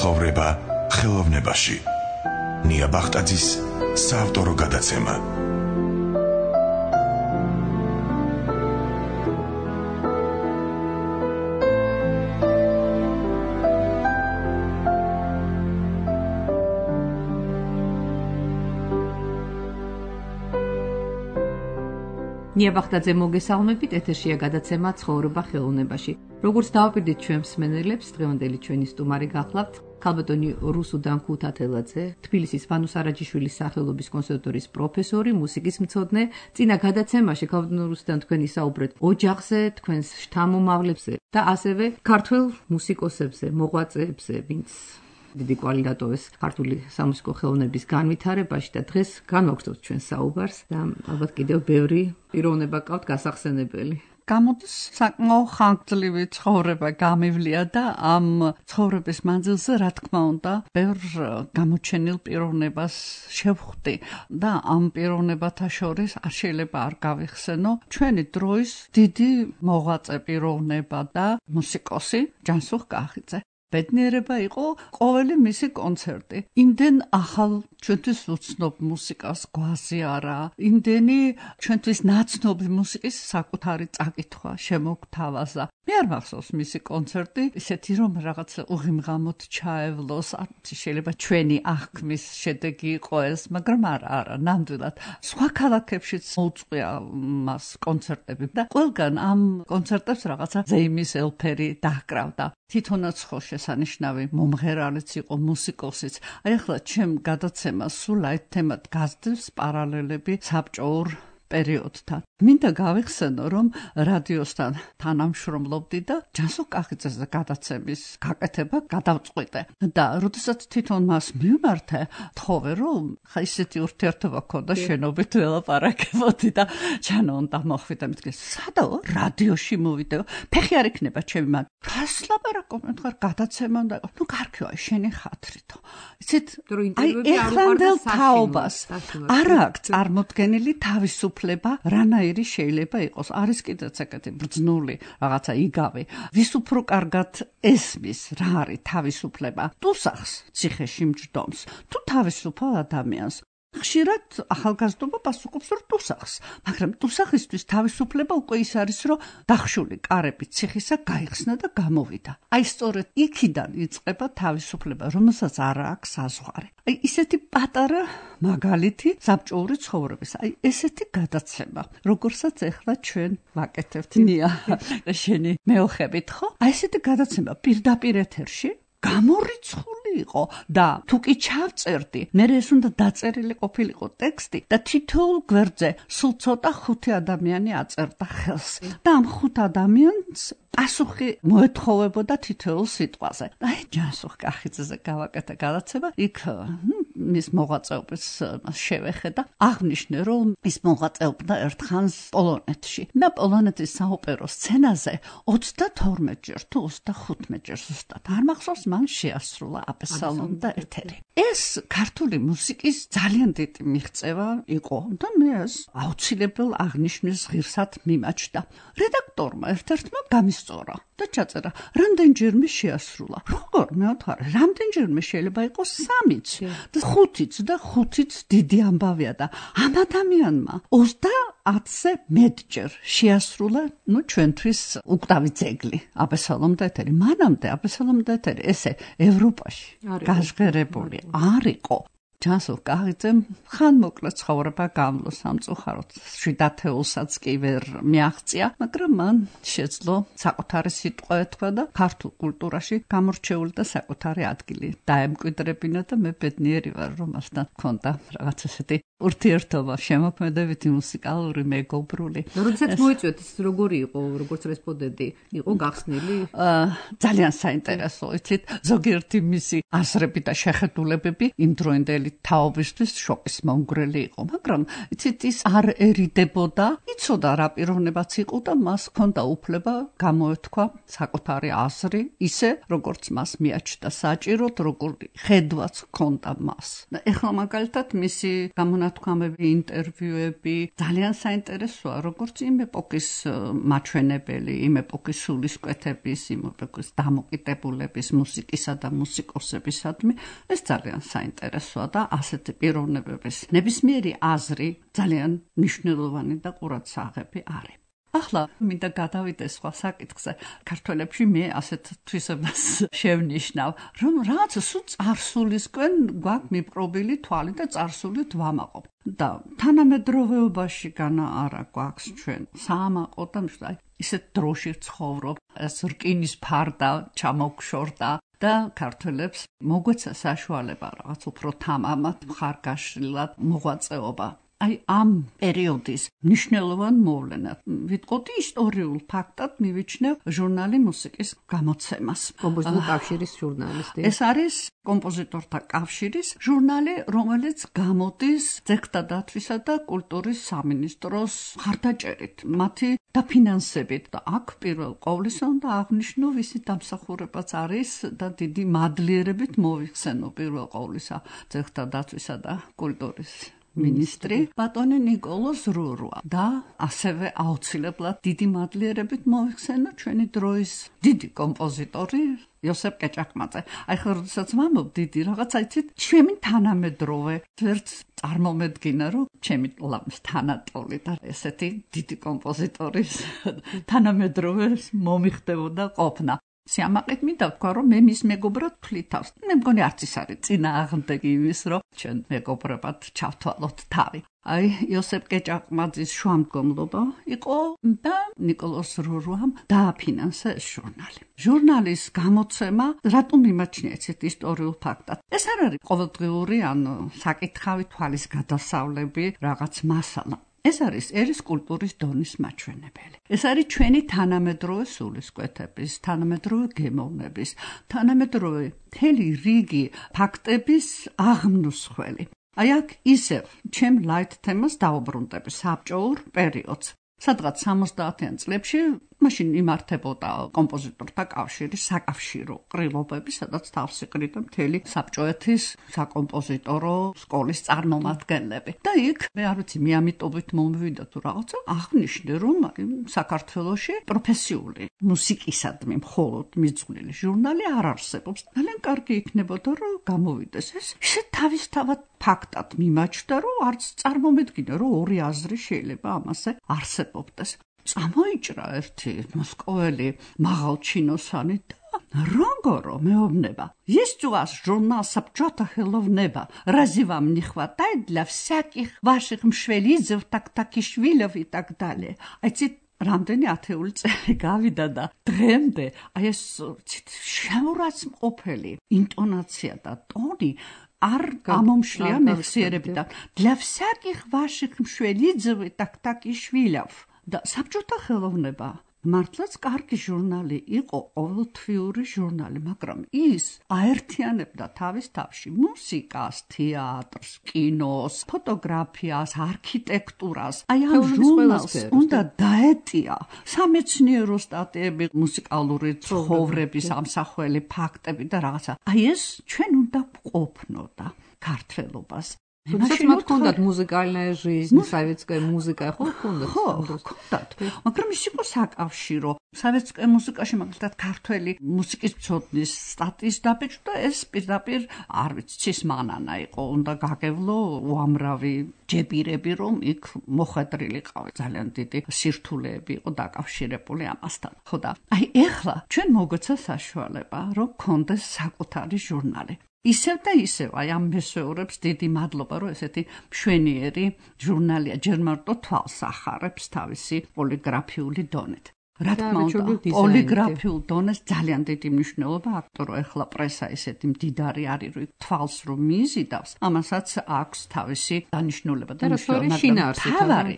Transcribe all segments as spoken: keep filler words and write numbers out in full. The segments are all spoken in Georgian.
ცხოვრება ხელოვნებაში. ნია ბახტაძის საავტორო გადაცემა. ნია ბახტაძე მოგესალმებით, ეთერშია გადაცემა ცხოვრება ხელოვნებაში. როგორც დავაპირდით ჩვენ მსმენელებს, დღევანდელი ჩვენი სტუმარი გახლავთ ქალბატონი რუსუდან ქუთათელაძე, თბილისის ვანუს არაჯიშვილის სახელობის კონსერვატორიის პროფესორი, მუსიკის მცოდნე. წინა გადაცემაში ქალბატონი რუსუდან თქვენ ისაუბრეთ ოჯახზე, თქვენს შთამომავლებზე და ასევე ქართველ მუსიკოსებზე, მოღვაწეებზე, ვინც დიდი კვალი დატოვეს ქართული სამუსიკო ხელოვნების განვითარებაში და დღეს განვაგრძობთ ჩვენ საუბარს და ალბათ კიდევ ბევრი პიროვნება გყავთ გასახსენებელი. გამოდის საკმაო ხანგრძლივი ცხოვრება გამივლია და ამ ცხოვრების მანძილზე რა თქმა უნდა ბევრ გამოჩენილ პიროვნებას შევხვდი და ამ პიროვნებათა შორის არ შეიძლება არ გავიხსენო ჩვენი დროის დიდი მოღვაწე პიროვნება და მუსიკოსი ჯანსუღ კახიძე. ბედნიერება იყო ყოველი მისი კონცერტი. იმდენ ახალ ჩვენთვის უცნობ მუსიკას გვაზიარა, იმდენი ჩვენთვის ნაცნობი მუსიკის საკუთარი წაკითხვა შემოგთავაზა. მე არ მახსოვს მისი კონცერტი, ისეთი რომ რაღაცა უღიმღამოდ ჩაევლოს, შეიძლება ჩვენი აღქმის შედეგი იყო ეს, მაგრამ არა, არა, ნამდვილად. სხვა ქალაქებშიც მოუწყვია მას კონცერტები და ყველგან ამ კონცერტებს რაღაცა ზეიმის ელფერი დაჰკრავდა. თვითონაც ხო შესანიშნავი მომღერალიც იყო, მუსიკოსიც. აი ახლა ჩემ გადაცემას სულ აი თემად გასდევს პარალელები საბჭოურ პერიოდთან. მინდა გავიხსენო, რომ რადიოსთან თანამშრომლობდი და ჯანსუღ კახიძეზე გადაცემის გაკეთება გადავწყვიტე. და როდესაც თვითონ მას მივმართე, თხოვე რომ ხა ისეთი ურთიერთობა ქონდა შენობით ველაპარაკებოდი და ჩანო უნდა მოხვიდა მეთქე, სადაო რადიოში მოვიდეო, ფეხი არ იქნება ჩემი მან. რას ლაპარაკობ, მეთქარ გადაცემა უნდა იყო. ნუ კარგია, შენი ხათრითო. იცით, აი ეხლანდელ თაობას არ აქვს წარმოდგენილი თავისუფლება რანაირი შეიძლება იყოს. არის კიდეც ეგეთი ბრძნული რაღაცა იგავი. ვის უფრო კარგად ესმის რა არის თავისუფლება? ტუსახს ციხეში მჯდომს თუ თავისუფალ ადამიანს? ხშირად ახალგაზრდობა პასუხობს რომ ტუსახს, მაგრამ ტუსახისთვის თავისუფლება უკვე ის არის, რომ დახშული კარები ციხისა გაიხსნა და გამოვიდა. აი სწორედ იქიდან იწყება თავისუფლება, რომელსაც არ აქვს საზღვარი. აი ისეთი პატარა მაგალითი საბჭოური ცხოვრების, აი ესეთი გადაცემა, როგორსაც ეხლა ჩვენ ვაკეთებთ ნია შენი მეოხებით, ხო? აი ესეთი გადაცემა პირდაპირ ეთერში გამორიცხული იყო და თუ კი ჩავწერდი, მე ეს უნდა დაწერილი ყოფილიყო ტექსტი და თითოეულ გვერდზე სულ ცოტა ხუთი ადამიანი აწერდა ხელს და ამ ხუთ ადამიანს პასუხი მოეთხოვებოდა თითოეულ სიტყვაზე. აი ჯანსუღ კახიძეზე გავაკეთე გადაცემა, იქ მის მოღვაწეობას შევეხე და აღნიშნე, რომ ის მოღვაწეობდა ერთხანს პოლონეთში და პოლონეთის საოპერო სცენაზე ოცდათორმეტ ჯერ თუ ოცდახუთმეტ ჯერ ზუსტად არ მახსოვს, მან შეასრულა აბესალომ და ეთერი. ეს ქართული მუსიკის ძალიან დიდი მიღწევა იყო და მე ეს აუცილებელ აღნიშვნის ღირსად მიმაჩნდა. რედაქტორმა ერთ-ერთმა გამისწორა და ჩაწერა, რამდენჯერმე შეასრულა. როგორ მეოთხარე, რამდენჯერმე შეიძლება იყოს სამიც და ხუთიც და ხუთიც დიდი ამბავია და ამ ადამიანმა ოცდაათზე მეტჯერ შეასრულა, ნუ ჩვენთვის უკვდავი ძეგლი აბესალომ და ეთერი. მანამდე აბესალომ და ეთერი ესე ევროპაში გაჟღერებული არ იყო. ჯანსუღ კახიძემ ხანმოკლე ცხოვრება გამლო სამწუხაროდ, შვიდათეულსაც კი ვერ მიაღწია, მაგრამ მან შეძლო საკუთარი სიტყვა ეთქვა და ქართულ კულტურაში გამორჩეული და საკუთარი ადგილი დაემკვიდრებინა და მე ბედნიერი ვარ, რომ მასთან მქონდა რაღაც ესეთი ურთიერთობა, შემოქმედებითი, მუსიკალური, მეგობრული. როდესაც მოიწვიეთ, ის როგორი იყო, როგორც რესპონდენტი, იყო გახსნილი? ძალიან საინტერესო, იცით, ზოგიერთი მისი აზრები და შეხედულებები იმდროინდელი მთელი თაობისთვის შოკის მომგვრელი იყო, მაგრამ იცით ის არ ერიდებოდა, იცოდა რა პიროვნებაც იყო და მას ჰქონდა უფლება გამოეთქვა საკუთარი აზრი, ისე როგორც მას მიაჩნდა საჭიროდ, როგორი ხედვაც ჰქონდა მას. და ეხლა მაგალითად მისი გამონათქვამები, ინტერვიუები ძალიან საინტერესოა, როგორც იმ ეპოქის მაჩვენებელი, იმ ეპოქის სულისკვეთების, იმ ეპოქის დამოკიდებულების, მუსიკისა და მუსიკოსებისადმი, ეს ძალიან საინტერესოა და ასეთი პიროვნებების ნებისმიერი აზრი ძალიან მნიშვნელოვანი და ყურადსაღები არის. ახლა მინდა გადავიდე სხვა საკითხზე. ქართველებში მე ასეთ თვისებას შევნიშნავ, რომ რაღაც სულ წარსულისკენ გვაქვს მიპყრობილი თვალი და წარსულით ვამაყობ. და თანამედროვეობაში განა არა გვაქვს ჩვენ საამაყო და აი ისეთ დროში ცხოვრობ, ეს რკინის ფარდა ჩამოგშორდა და ქართველებს მოგვეცა საშუალება რაღაც უფრო თამამად, მხარგაშლილად მოღვაწეობა. აი ამ პერიოდის მნიშვნელოვან მოვლენად ვიტყოდი ისტორიულ ფაქტად მივიჩნევ ჟურნალი მუსიკის გამოცემას. კომპოზიტორთა კავშირის ჟურნალისტი. ეს არის კომპოზიტორთა კავშირის ჟურნალი, რომელიც გამოდის ძეგლთა დათვისა და კულტურის სამინისტროს მხარდაჭერით, მათი დაფინანსებით. და აქ პირველ ყოვლისა უნდა აღნიშნო ვისი დამსახურებაც არის და დიდი მადლიერებით მოვიხსენო პირველ ყოვლისა ძეგლთა დათვისა და კულტურის მინისტრი ბატონი ნიკოლოზ რურვა და ასევე აუცილებლად დიდი მადლიერებით მოვიხსენო ჩვენი დროის დიდი კომპოზიტორი იოსებ კეჭაყმაძე. აი ხო როდესაც ვამბობ დიდი რაღაცა იცით, ჩემი თანამედროვე ვერც წარმომედგინა, რომ ჩემი ლამს თანატოლი და ესეთი დიდი კომპოზიტორის თანამედროვე მომიხდებოდა ყოფნა. სიამაყით მინდა ვთქვა, რომ მე მის მეგობრად ვთვლითავს. მე მგონი არც ის არის წინააღმდეგი იმის, რომ ჩვენ მეგობრებად ჩავთვალოთ თავი. აი იოსებ კეჭაყმაძის შუამდგომლობა იყო და ნიკოლოზ რურვამ დააფინანსა ეს ჟურნალი. ჟურნალის გამოცემა რატომ იმაჩნია ესეთ ისტორიულ ფაქტად? ეს არ არის ყოველდღიური ან საკითხავი თვალის გადასავლები, რაღაც მასალა. ეს არის ერის კულტურის დონის მაჩვენებელი. ეს არის ჩვენი თანამედროვე სულისკვეთების, თანამედროვე გემოვნების, თანამედროვე მთელი რიგი ფაქტების აღმნუსხველი. აი აქ ისევ ჩემ ლაით თემას დაუბრუნდები საბჭოურ პერიოდს. სადღაც სამოცდაათიან წლებში მაშინ იმართებოდა კომპოზიტორთა კავშირის საკავშირო ყრილობები, სადაც თავს იყრიდა მთელი საბჭოეთის საკომპოზიტორო სკოლის წარმომადგენლები. და იქ მე არ ვიცი, მე ამიტობით მომივიდა თუ რაღაცა, აღნიშნე რომ საქართველოში პროფესიული მუსიკისადმი მხოლოდ მიძღვნილი ჟურნალი არ არსებობს. ძალიან კარგი იქნებოდა რომ გამოვიდეს ეს. ისე თავისთავად ფაქტად მიმაჩნდა, რომ არც წარმომედგინა, რომ ორი აზრი შეიძლება ამაზე არსებობდეს. წამოიჭრა ერთი მოსკოველი მაღალჩინოსანი და Rongoro meobneba. Есть у вас журнал «Собчота Хеловнеба». Разве вам не хватает для всяких ваших мшвелидзев, так-такишвилев и так далее? А эти რამდენი ათეული წელი გავიდა და დღემდე აი ეს შემურაც მყოფელი ინტონაცია და ტონი არ გამომშლია მეხსიერებიდან. Для всяких ваших мшвелидзев и так-такишвилев. და საბჭოთა ხელოვნება მართლაც კარგი ჟურნალი იყო, ყოველთვიური ჟურნალი, მაგრამ ის აერთიანებდა თავის თავში მუსიკას, თეატრს, კინოს, ფოტოგრაფიას, არქიტექტურას. აი ამ ჟურნალს უნდა დაეტია სამეცნიერო სტატიები, მუსიკალური ცხოვრების ამსახველი ფაქტები და რაღაცა. აი ეს ჩვენ უნდა ვყოფნოდა ქართველობას. Значит, мы откуда музыкальная жизнь, советская музыка, ხო ქონდა? ხო, ქონდათ. მაგრამ ის იყო საკავშირო. Советская მუსიკაში მაგალითად ქართველი მუსიკის ცოდნის სტატიის დაბეჭდა ეს პირდაპირ არ ვიცი, ცის მანანა იყო, უნდა გაგევლო უამრავი ჯებირები, რომ იქ მოხვედრილი ყავი. ძალიან დიდი სირთულეები იყო დაკავშირებული ამასთან. ხო და აი ეხლა ჩვენ მოგვეცა საშუალება, რომ გქონდეს საკუთარი ჟურნალი. ისევ და ისევ, აი ამ მესვეურებს დიდი მადლობა, რომ ესეთი მშვენიერი ჟურნალია, ჯერ მარტო თვალს ახარებს თავისი პოლიგრაფიული დონით. რა თქმა უნდა, პოლიგრაფიულ დონეს ძალიან დიდი მნიშვნელობა აქვს, რომ ეხლა პრესა ესეთი მდიდარი არის, რომ თვალს რომ მიიზიდავს, ამასაც აქვს თავისი დანიშნულება და მნიშვნელობა. შინაარსი, თავარი,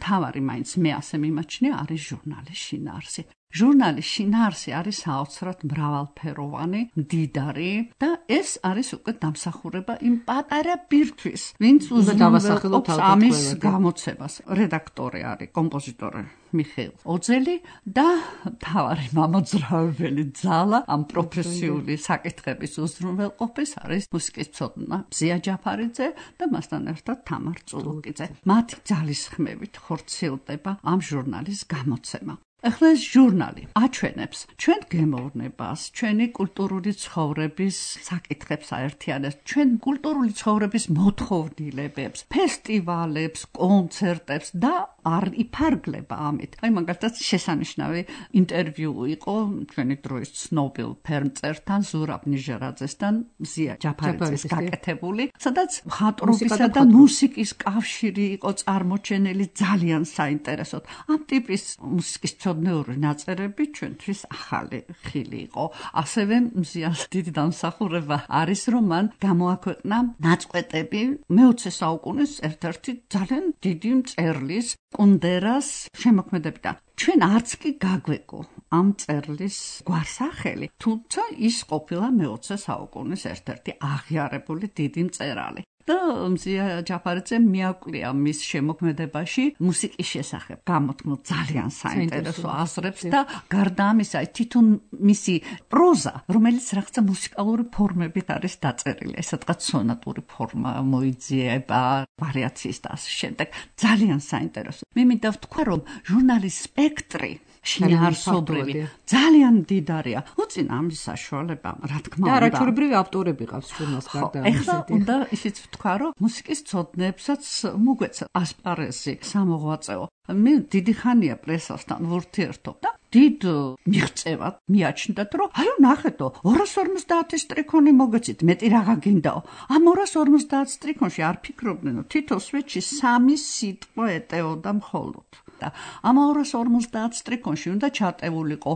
თავარი მაინც მე ასე მიმაჩნია არის ჟურნალის შინაარსი. ჟურნალის შინაარსი არის საოცრად მრავალფეროვანი, მდიდარი და ეს არის უკვე დამსახურება იმ პატარა ბირთვის, ვინც უზრუნველყოფს ამის გამოცემას. რედაქტორი არის კომპოზიტორი მიხეილ ოძელი და მთავარი მამოძრავებელი ძალა ამ პროფესიული საკითხების უზრუნველყოფის არის მუსიკის მცოდნა მზია ჯაფარიძე და მასთან ერთად თამარ წულუკიძე. მათი ძალისხმევით ხორციელდება ამ ჟურნალის გამოცემა. ახლა ეს ჟურნალი აჩვენებს ჩვენ გემოვნებას, ჩვენი კულტურული ცხოვრების საკითხებს აერთიანებს, ჩვენ კულტურული ცხოვრების მოთხოვნილებებს, ფესტივალებს, კონცერტებს და არ იფარგლება ამით. აი მაგალითად შესანიშნავი ინტერვიუ იყო ჩვენი დროის ცნობილ ფერმწერთან ზურაბ ნიჟერაძესთან მზია ჯაფარიძეს გაკეთებული, სადაც მხატვრობისა და მუსიკის კავშირი იყო წარმოჩენილი ძალიან საინტერესოდ. ამ ტიპის მუსიკის მცოდნეური ნაწერები ჩვენთვის ახალი ხილი იყო. ასევე მზიას დიდი დამსახურება არის, რომ მან გამოაქვეყნა ნაწყვეტები მეოცე საუკუნის ერთ-ერთი ძალიან დიდი მწერლის კუნდერას შემოქმედებიდან. ჩვენ არც კი გაგვეკო ამ მწერლის გვარსახელი, თუმცა ის ყოფილა მეოცე საუკუნის ერთ-ერთი აღიარებული დიდი მწერალი. და მზია ჯაფარიძემ მიაკვლია მის შემოქმედებაში მუსიკის შესახებ გამოთქმულ ძალიან საინტერესო აზრებს და გარდა ამისა თვითონ მისი პროზა, რომელიც რაღაცა მუსიკალური ფორმებით არის დაწერილი, სადღაც სონატური ფორმა მოიძიება, ვარიაციის და ასე შემდეგ. ძალიან საინტერესო. მე მინდა ვთქვა, რომ ჟურნალის სპექტრი შინაარსობრივი ძალიან დიდარია. უწინ ამის საშუალება, რა თქმა უნდა. და არაჩვეულებრივი ავტორები ყავს ჟურნალს გარდა ამისა. ეხლა უნდა ისიც ვთქვა, რომ მუსიკის მცოდნეებსაც მოგვეცა ასპარეზი სამოღვაწეო. მე დიდი ხანია პრესასთან ვურთიერთობ და დიდ მიღწევად მიაჩნდათ, რომ აი ნახეთო, ორას ორმოცდაათი სტრიქონი მოგეცით, მეტი რაღა გინდაო. ამ ორას ორმოცდაათ სტრიქონში არ ფიქრობდნენ, რომ თითო სვეტში სამი სიტყვა ეტეოდა მხოლოდ. და ამ ორას ორმოცდაათ სტრიქონში უნდა ჩატეულიყო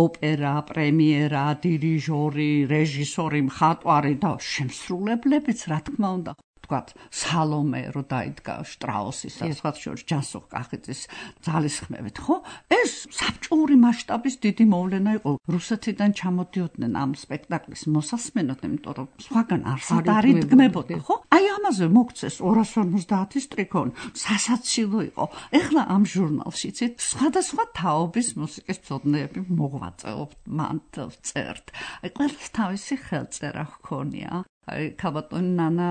ოპერა, პრემიერა, დირიჟორი, რეჟისორი, მხატვარი და შემსრულებლებიც, რა თქმა უნდა. ვთქვათ, სალომე რო დაიდგა შტრაუსის და სხვა შორის ჯანსუღ კახიძის ძალისხმევით, ხო? ეს საბჭოური მასშტაბის დიდი მოვლენა იყო. რუსეთიდან ჩამოდიოდნენ ამ სპექტაკლის მოსასმენად, იმიტომ რომ სხვაგან არსად არ იდგმებოდა, ხო? აი ამაზე მოგცეს ორას ორმოცდაათი სტრიქონი, სასაცილო იყო. ეხლა ამ ჟურნალში ცით სხვადასხვა თაობის მუსიკის მცოდნეები მოღვაწეობთ, მან წერთ. აი ყველას თავისი ხელწერა ჰქონია. აი ქაბატონი ნანა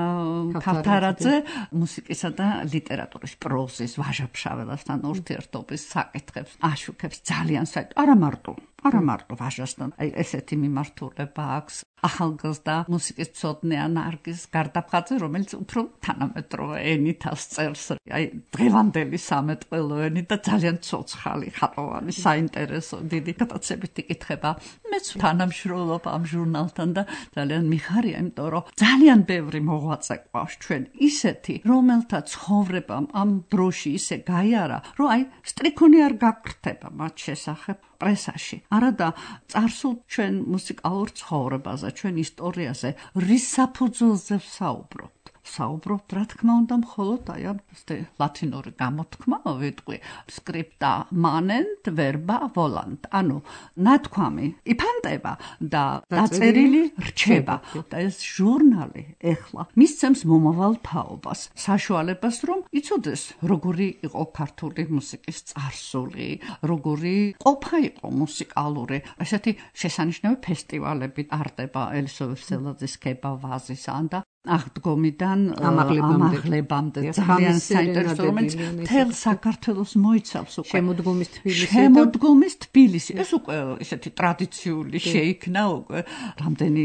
ქავთარაძე მუსიკისა და ლიტერატურის პროზის ვაჟა-ფშაველასთან ურთიერთობის საკითხებს აშუქებს ძალიან საერთოდ. არა მარტო, არა მარტო ვაჟასთან. აი ესეთი მიმართულება აქვს. ახალგაზრდა მუსიკის მცოდნე ნარგიზ გარდაფხაძე, რომელიც უფრო თანამედროვე ენით წერს. აი დღევანდელი სამეთყველო ენით და ძალიან ცოცხალი, ხატოვანი, საინტერესო, დიდი გადაცებით იკითხება. მეც თანამშრომლობ ამ ჟურნალთან და ძალიან მიხარია, იმიტომ რომ ძალიან ბევრი მოღვაწე ყავს ჩვენ ისეთი, რომელთა ცხოვრებამ ამ დროში ისე გაიარა, რომ აი სტრიქონი არ გაკრთება მათ შესახებ პრესაში. არადა წარსულ ჩვენ მუსიკალურ ცხოვრებაზე, ჩვენ ისტორიაზე, რის საფუძველზე ვსაუბრობთ. საუბრობთ, რა თქმა უნდა, მხოლოდ აი ამ ლათინური გამოთქმა ვიტყვი, scripta manent verba volant. ანუ ნათქვამი იფანტება და დაწერილი რჩება. და ეს ჟურნალი ეხლა მისცემს მომავალ თაობას, საშუალებას, რომ იცოდეს, როგორი იყო ქართული მუსიკის წარსული, როგორი ყოფა იყო მუსიკალური. ესეთი შესანიშნავი ფესტივალები ტარდება ელისო ვეселაძის ქება ვაზისან და აღდგომიდან ამაღლებამდე ძალიან საინტერესო, რომელიც მთელ საქართველოს მოიცავს უკვე შემოდგომის თბილისი. შემოდგომის თბილისი. ეს უკვე ესეთი ტრადიციული შეიქმნა უკვე რამდენი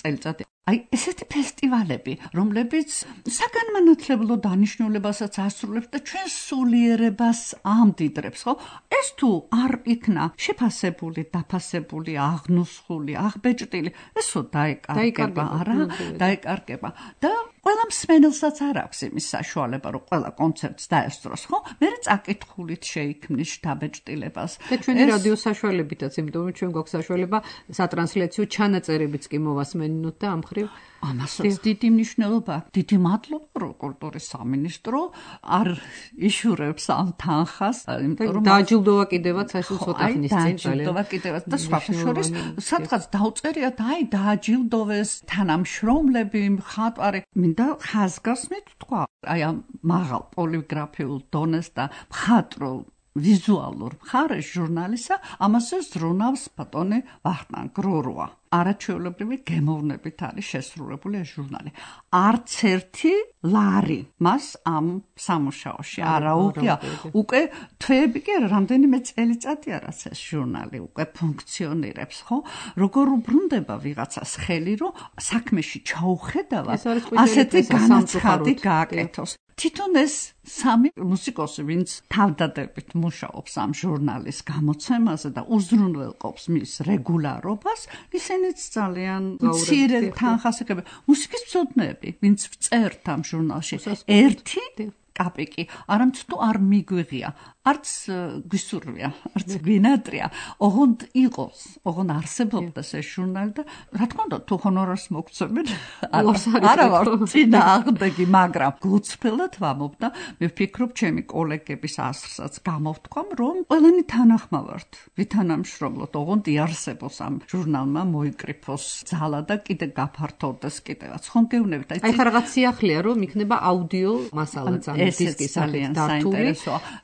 წელიწადი. აი ესეთი ფესტივალები, რომლებიც საგანმანათლებლო დანიშნულებასაც ასრულებს და ჩვენ სულიერებას ამდიდრებს, ხო? ეს თუ არ იქნა შეფასებული, დაფასებული, აღნუსხული, აღბეჭდილი, ესო დაიკარგება, არა? დაიკარგება. და ყველა მსმენელსაც არ აქვს იმის საშუალება, რომ ყველა კონცერტს დაესწროს, ხო? მე წაკითხულით შეიქმნის შთაბეჭდილებას. და ჩვენი რადიო საშუალებითაც, იმიტომ რომ ჩვენ გვაქვს საშუალება სატრანსლაციო ჩანაწერებიც კი მოვასმენინოთ და ამ მხრივ ამასაც დიდი მნიშვნელობა. დიდი მადლობა, რომ კულტურის სამინისტრო არ იშურებს ამ თანხას, იმიტომ რომ დააჯილდოვა კიდევაც ეს ცოტა ხნის წინ ძალიან. დააჯილდოვა კიდევაც და სხვა შორის სადღაც დაუწერიათ, აი დააჯილდოვეს თანამშრომლები, მხატვარი. მინდა ხაზგასმით თქვა, აი ამ მაღალ პოლიგრაფიულ დონეს და მხატვრულ ვიზუალურ მხარეს ჟურნალისა, ამასე ზრუნავს ბატონი ვახტანგ გროროა. არაჩვეულებრივი გემოვნებით არის შესრულებული ეს ჟურნალი. არც ერთი ლარი მას ამ სამუშაოში არ აუღია. უკვე თვეები კი არა, რამდენიმე წელიწადია რაც ეს ჟურნალი უკვე ფუნქციონირებს, ხო? როგორ უბრუნდება ვიღაცას ხელი, რომ საქმეში ჩაუხედავად ასეთი განაცხადი გააკეთოს. თვითონ ეს სამი მუსიკოსი, ვინც თავდადებით მუშაობს ამ ჟურნალის გამოცემაზე და უზრუნველყოფს მის რეგულარობას, ისინიც ძალიან მცირე თანხას ეკავენ. მუსიკის მცოდნეები, ვინც წერთ ამ ჟურნალში, ერთი კაპიკი არამც თუ არ მიგვიღია, არც გვისურვია, არც გვინატრია, ოღონდ იყოს, ოღონდ არსებობდეს ეს ჟურნალი და რა თქმა უნდა, თუ ჰონორარს მოგცემენ, არა ვარ წინააღმდეგი, მაგრამ გულწრფელად ვამბობ და მე ვფიქრობ, ჩემი კოლეგების ასრსაც გამოვთქვამ, რომ ყველანი თანახმავართ, ვითანამშრომლოთ, ოღონდ იარსებოს ამ ჟურნალმა მოიკრიფოს ძალა და კიდე გაფართოვდეს კიდევაც. ხომ გეუბნებით, აი ხა რაღაც სიახლეა, რომ იქნება აუდიო მასალაც ამ დისკის სახით დართული.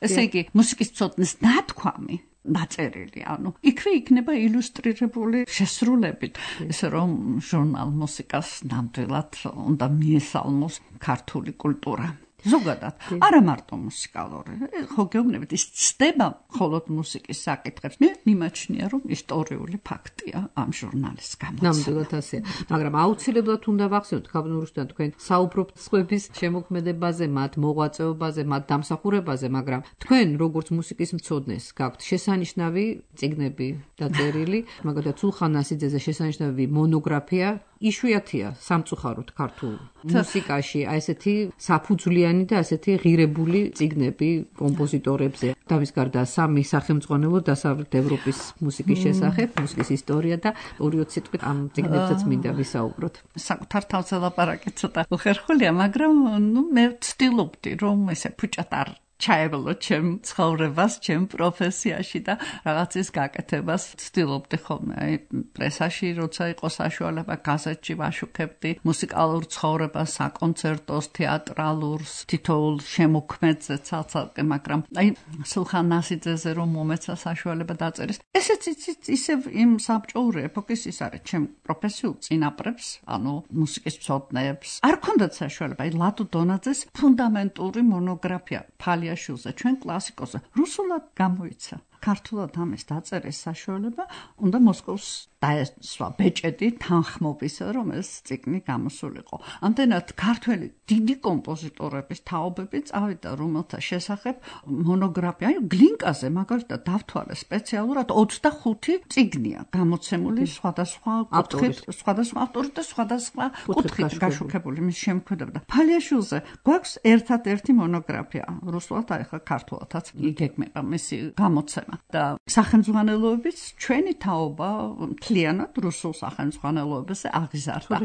ესე იგი მუსიკის მცოდნეს ნათქვამი დაწერილი, ანუ იქვე იქნება ილუსტრირებული შესრულებით, ესე რომ ჟურნალ მუსიკას ნამდვილად უნდა მიესალმოს ქართული კულტურა. ზოგადად, არა მარტო მუსიკალური, ხო გეუბნებით, ის ცდება მხოლოდ მუსიკის საკითხებს. მე მიმაჩნია, რომ ისტორიული ფაქტია ამ ჟურნალის გამოცემა. ნამდვილად ასეა, მაგრამ აუცილებლად უნდა ვახსენოთ, ქაბნურუსთან თქვენ საუბრობთ სხვების შემოქმედებაზე, მათ მოღვაწეობაზე, მათ დამსახურებაზე, მაგრამ თქვენ როგორც მუსიკის მცოდნეს გაქვთ შესანიშნავი წიგნები დაწერილი, მაგალითად სულხან ასიძეზე შესანიშნავი მონოგრაფია, იშვიათია სამწუხაროდ ქართულ მუსიკაში, აი ესეთი საფუძვლიანი და ასეთი ღირებული წიგნები კომპოზიტორებზე. და მის გარდა სამი სახელმძღვანელო დასავლეთ ევროპის მუსიკის შესახებ, მუსიკის ისტორია და ორი-ოც სიტყვით ამ წიგნებსაც მინდა ვისაუბროთ. საკუთარ თავზე ლაპარაკი ცოტა უხერხულია, მაგრამ ნუ მე ვცდილობდი, რომ ესე ფუჭად არ ჩაევლო ჩემ ცხოვრებას, ჩემ პროფესიაში და რაღაცის გაკეთებას ვცდილობდი ხოლმე. აი პრესაში როცა იყო საშუალება, გაზეთში ვაშუქებდი მუსიკალურ ცხოვრებას, საკონცერტოს, თეატრალურს, თითოეულ შემოქმედზე ცალ-ცალკე, მაგრამ აი სულხან ასიძეზე რომ მომეცა საშუალება დაწერის, ესეც ისევ იმ საბჭოური ეპოქის ის არის, ჩემ პროფესიულ წინაპრებს, ანუ მუსიკის მცოდნეებს არ ქონდათ საშუალება. აი ლადო დონაძეს ფუნდამენტური მონოგრაფია ფალიაშვილზე, ჩვენ კლასიკოსზე, რუსულად გამოიცა. ქართულად ამის დაწერის საშუალება უნდა მოსკოვს დაესვა ბეჭედი თანხმობისა, რომ ეს წიგნი გამოსულიყო. ამდენად ქართველი დიდი კომპოზიტორების თაობები წავიდა, რომელთა შესახებ მონოგრაფია, აი გლინკაზე მაგალითად დავთვალე სპეციალურად ოცდახუთი წიგნია გამოცემული სხვადასხვა კუთხით, სხვადასხვა ავტორით და სხვადასხვა კუთხით გაშუქებული მის შემოქმედებაში. ფალიაშვილზე გვაქვს ერთადერთი მონოგრაფია, რუსულად, აი ხა ქართულადაც იგეგმება მისი გამოცემა. და სახელმძღვანელოების ჩვენი თაობა მთლიანად რუსულ სახელმძღვანელოებაზე აღიზარდა.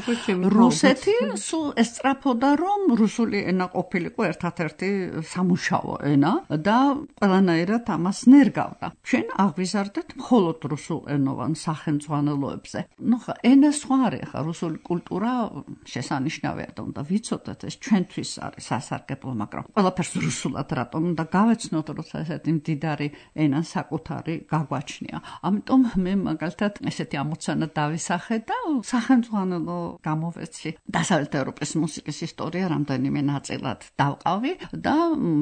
რუსეთი სულ ესწრაფოდა, რომ რუსული ენა ყოფილიყო ერთადერთი სამუშაო ენა და ყველანაირად ამას ნერგავდა. ჩვენ აღიზარდეთ მხოლოდ რუსულ ენოვან სახელმძღვანელოებზე. ნუ ხა ენა სხვა არის, ხა რუსული კულტურა შესანიშნავია და უნდა ვიცოდეთ, ეს ჩვენთვის არის სასარგებლო, მაგრამ ყველაფერს რუსულად რატომ უნდა გავეცნოთ, როცა ესეთი მდიდარი ენა საკუთარი გაგვაჩნია. ამიტომ მე მაგალითად ესეთი ამოცანა დავისახე და სახელმძღვანელო გამოვეცი. დასავლეთ ევროპის მუსიკის ისტორია რამდენიმე ნაწილად დავყავი და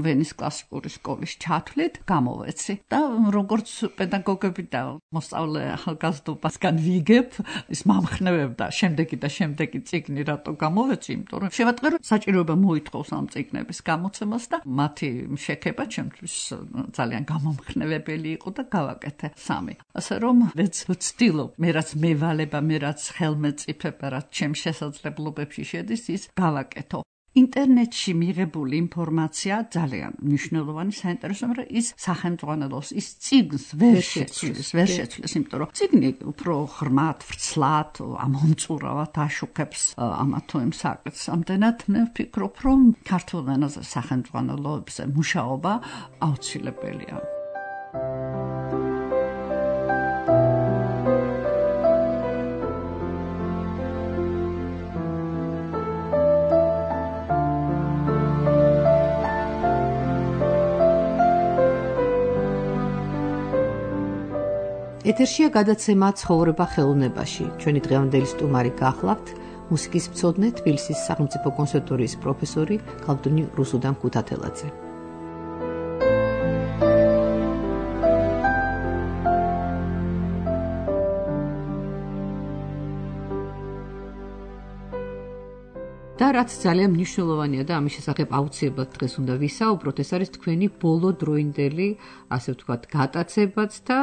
ვენის კლასიკური სკოლის ჩათვლით გამოვეცი. და როგორც პედაგოგები და მოსწავლე ახალგაზრდობასგან ვიგებ, ის მომხნევებდა შემდეგი და შემდეგი წიგნი რატო გამოვეცი, იმიტომ რომ შევატყვე, რომ საჭიროება მოითხოვს ამ წიგნების გამოცემას და მათი შექება ჩემთვის ძალიან გამომხნევებელი შვილი იყო და გავაკეთე სამი. ასე რომ მეც ვცდილობ, მე რაც მევალება, მე რაც ხელმეწიფება, რაც ჩემ შესაძლებლობებში შედის, ის გავაკეთო. ინტერნეტში მიღებული ინფორმაცია ძალიან მნიშვნელოვანი, საინტერესო, მაგრამ ის სახელმძღვანელოს, ის წიგნს ვერ შეცვლის, ვერ შეცვლის, იმიტომ რომ წიგნი უფრო ღრმად, ვრცლად, ამომწურავად აშუქებს ამა თუ იმ საკითხს. ამდენად მე ვფიქრობ, რომ ქართულ ენაზე სახელმძღვანელოებზე მუშაობა აუცილებელია. ეთერშია გადაცემა ცხოვრება ხელოვნებაში. ჩვენი დღევანდელი სტუმარი გახლავთ მუსიკის მცოდნე, თბილისის სახელმწიფო კონსერვატორიის პროფესორი ქალბატონი რუსუდან ქუთათელაძე. და რაც ძალიან მნიშვნელოვანია და ამის შესახებ აუცილებლად დღეს უნდა ვისაუბროთ, ეს არის თქვენი ბოლო დროინდელი, ასე ვთქვათ, გატაცებაც და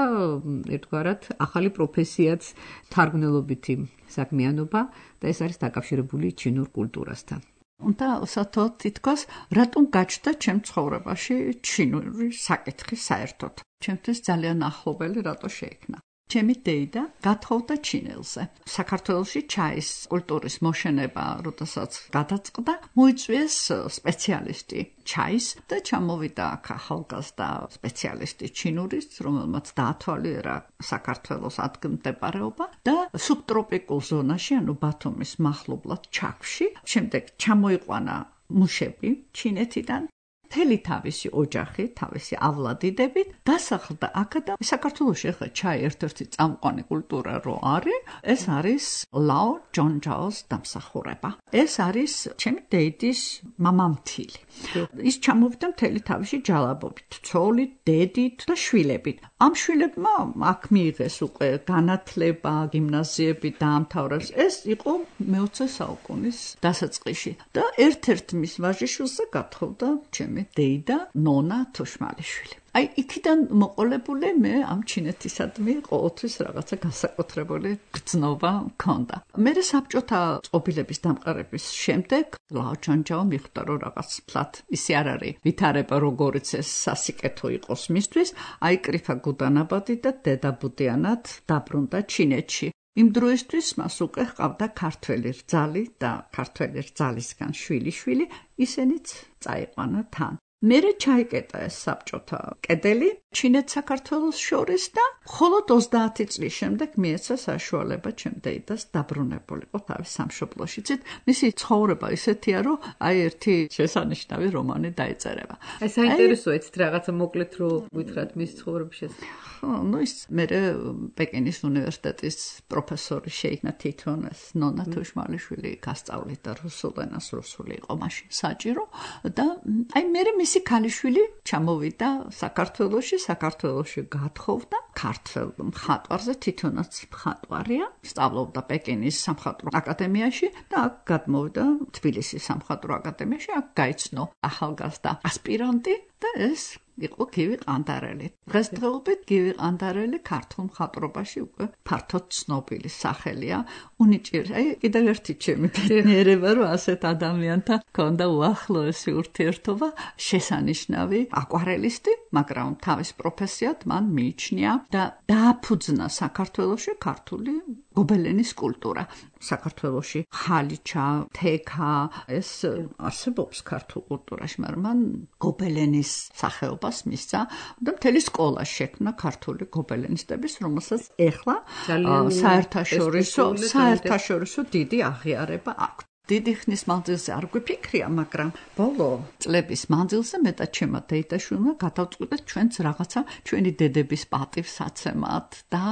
ერთგვარად ახალი პროფესიაც, თარგმნელობითი საქმიანობა და ეს არის დაკავშირებული ჩინურ კულტურასთან. უნდა ვსათოთ თითქოს, რატომ გაჩნდა ჩემ ცხოვრებაში ჩინური საკითხი საერთოდ. ჩემთვის ძალიან ახლობელი რატო შეიქმნა. ჩემი დეიდა გათხოვდა ჩინელზე. საქართველოში ჩაის კულტურის მოშენება, როდესაც გადაწყდა, მოიწვიეს სპეციალისტი ჩაის და ჩამოვიდა აქ ახალგაზრდა სპეციალისტი ჩინურის, რომელმაც დაათვალიერა საქართველოს ადგილმდებარეობა და სუბტროპიკულ ზონაში, ანუ ბათუმის მახლობლად ჩაქვში, შემდეგ ჩამოიყვანა მუშები ჩინეთიდან. მთელი თავისი ოჯახი, თავისიავლადიდებით დასახლდა აქ და საქართველოში ახლა ჩაი ერთ-ერთი წამყვანი კულტურა რო არის, ეს არის ლაო ჯონჯაოს დამსახურება. ეს არის ჩემი დედის მამამთილი. ის ჩამოვიდა მთელი თავისი ჯალაბობით, ცოლით, დედით და შვილებით. ამ შვილებმა აქ მიიღეს უკვე განათლება, გიმნაზიები დაამთავრეს. ეს იყო მეოცე საუკუნის დასაწყისში და ერთ-ერთ მის ვაჟიშვილზე გათხოვდა ჩემი დეიდა ნონა თუშმალიშვილი. აი, იქიდან მოყოლებული მე ამ ჩინეთისადმი ყოველთვის რაღაცა განსაკუთრებული გრძნობა მქონდა. მე საბჭოთა წყობილების დამყარების შემდეგ ლაო ჯონჯაო მიხვდა, რომ რაღაც ფლად ისე არ არის ვითარება, როგორიც ეს სასიკეთო იყოს მისთვის, აიკრიფა გუდანაბადი და დედაბუდიანად დაბრუნდა ჩინეთში. იმ დროისთვის მას უკვე ჰყავდა ქართველი რძალი და ქართველი რძალისგან შვილი-შვილი, ისინიც წაიყვანა თან. მერე ჩაიკეტა ეს საბჭოთა კედელი ჩინეთ-საქართველოს შორის და მხოლოდ ოცდაათი წლის შემდეგ მიეცა საშუალება ჩემ დედას დაბრუნებულიყო თავის სამშობლოში. მისი ცხოვრება ისეთია, რომ აი ერთი შესანიშნავი რომანი დაეწერება. აი საინტერესოა ეცეთ რაღაცა მოკლედ რო გითხრათ მის ცხოვრების შესახებ. ну ის მერე პეკინის უნივერსიტეტის პროფესორი შეიქმნა თვითონ ეს ნონა თუშმალიშვილი გასწავლიდა რუსულ ენას, რუსული იყო მაშინ საჭირო და აი მერე მისი ქალიშვილი ჩამოვიდა საქართველოში, საქართველოში გათხოვდა ქართველ მხატვარზე, თვითონაც მხატვარია, სწავლობდა პეკინის სამხატვრო აკადემიაში და აქ გადმოვიდა თბილისის სამხატვრო აკადემიაში, აქ გაიცნო ახალგაზრდა ასპირანტი და ეს იყო გივი ყანდარელი. დღესდღეობით გივი ყანდარელი ქართულ მხატვრობაში უკვე ფართოდ ცნობილი სახელია. უნიჭიერი, აი კიდევ ერთი ჩემი ბედნიერება, რომ ასეთ ადამიანთან ჰქონდა უახლოესი ურთიერთობა, შესანიშნავი აკვარელისტი, მაგრამ თავის პროფესიად მან მიიჩნია და დააფუძნა საქართველოში ქართული გობელენის კულტურა. საქართველოში ხალიჩა, თექა, ეს არსებობს ქართულ კულტურაში, მაგრამ მან გობელენის სახეობას მისცა და მთელი სკოლა შექმნა ქართული გობელენისტების, რომელსაც ეხლა საერთაშორისო საერთაშორისო დიდი აღიარება აქვს. დიდი ხნის მანძილზე არ გვიფიქრია, მაგრამ ბოლო წლების მანძილზე მე და ჩემმა დეიდაშვილმა გადავწყვიტეთ ჩვენც რაღაცა ჩვენი დედების პატივსაცემად და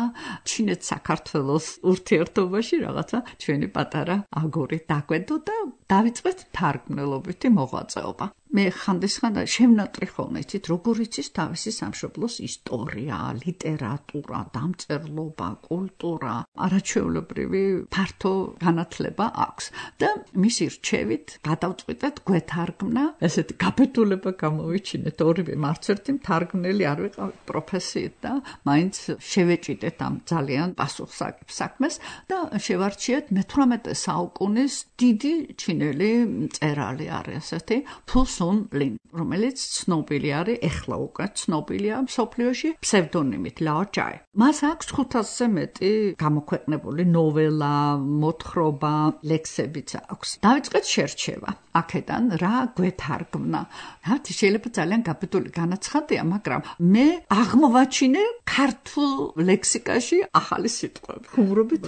ჩინეთ-საქართველოს ურთიერთობაში რაღაცა ჩვენი პატარა აგური დაგვედო და დავიწყეთ თარგმნელობითი მოღვაწეობა. მე ხანდისხან შემნატრი ხოლმე იცით, როგორ იცის თავისი სამშობლოს ისტორია, ლიტერატურა, დამწერლობა, კულტურა, არაჩვეულებრივი ფართო განათლება აქვს და მისი რჩევით გადავწყვიტეთ გვეთარგმნა, ესეთი გაბედულება გამოვიჩინეთ, ორივე მარც ერთი მთარგმნელი არ ვიყავით პროფესიით და მაინც შევეჭიდეთ ამ ძალიან პასუხისმგებ საქმეს და შევარჩიეთ მეთვრამეტე საუკუნის დიდი ჩინელი მწერალი არის ესეთი ფუ სუნ ლინ, რომელიც ცნობილი არის, ეხლა უკვე ცნობილია მსოფლიოში ფსევდონიმით ლაო ჯაი. მას აქვს ხუთასზე მეტი გამოქვეყნებული ნოველა, მოთხრობა, ლექსებიც აქვს. დავიწყეთ შერჩევა. აქედან რა გვეთარგმნა. რა შეიძლება ძალიან გაბედული განაცხადია, მაგრამ მე აღმოვაჩინე ქართულ ლექსიკაში ახალი სიტყვები. ხუმრობით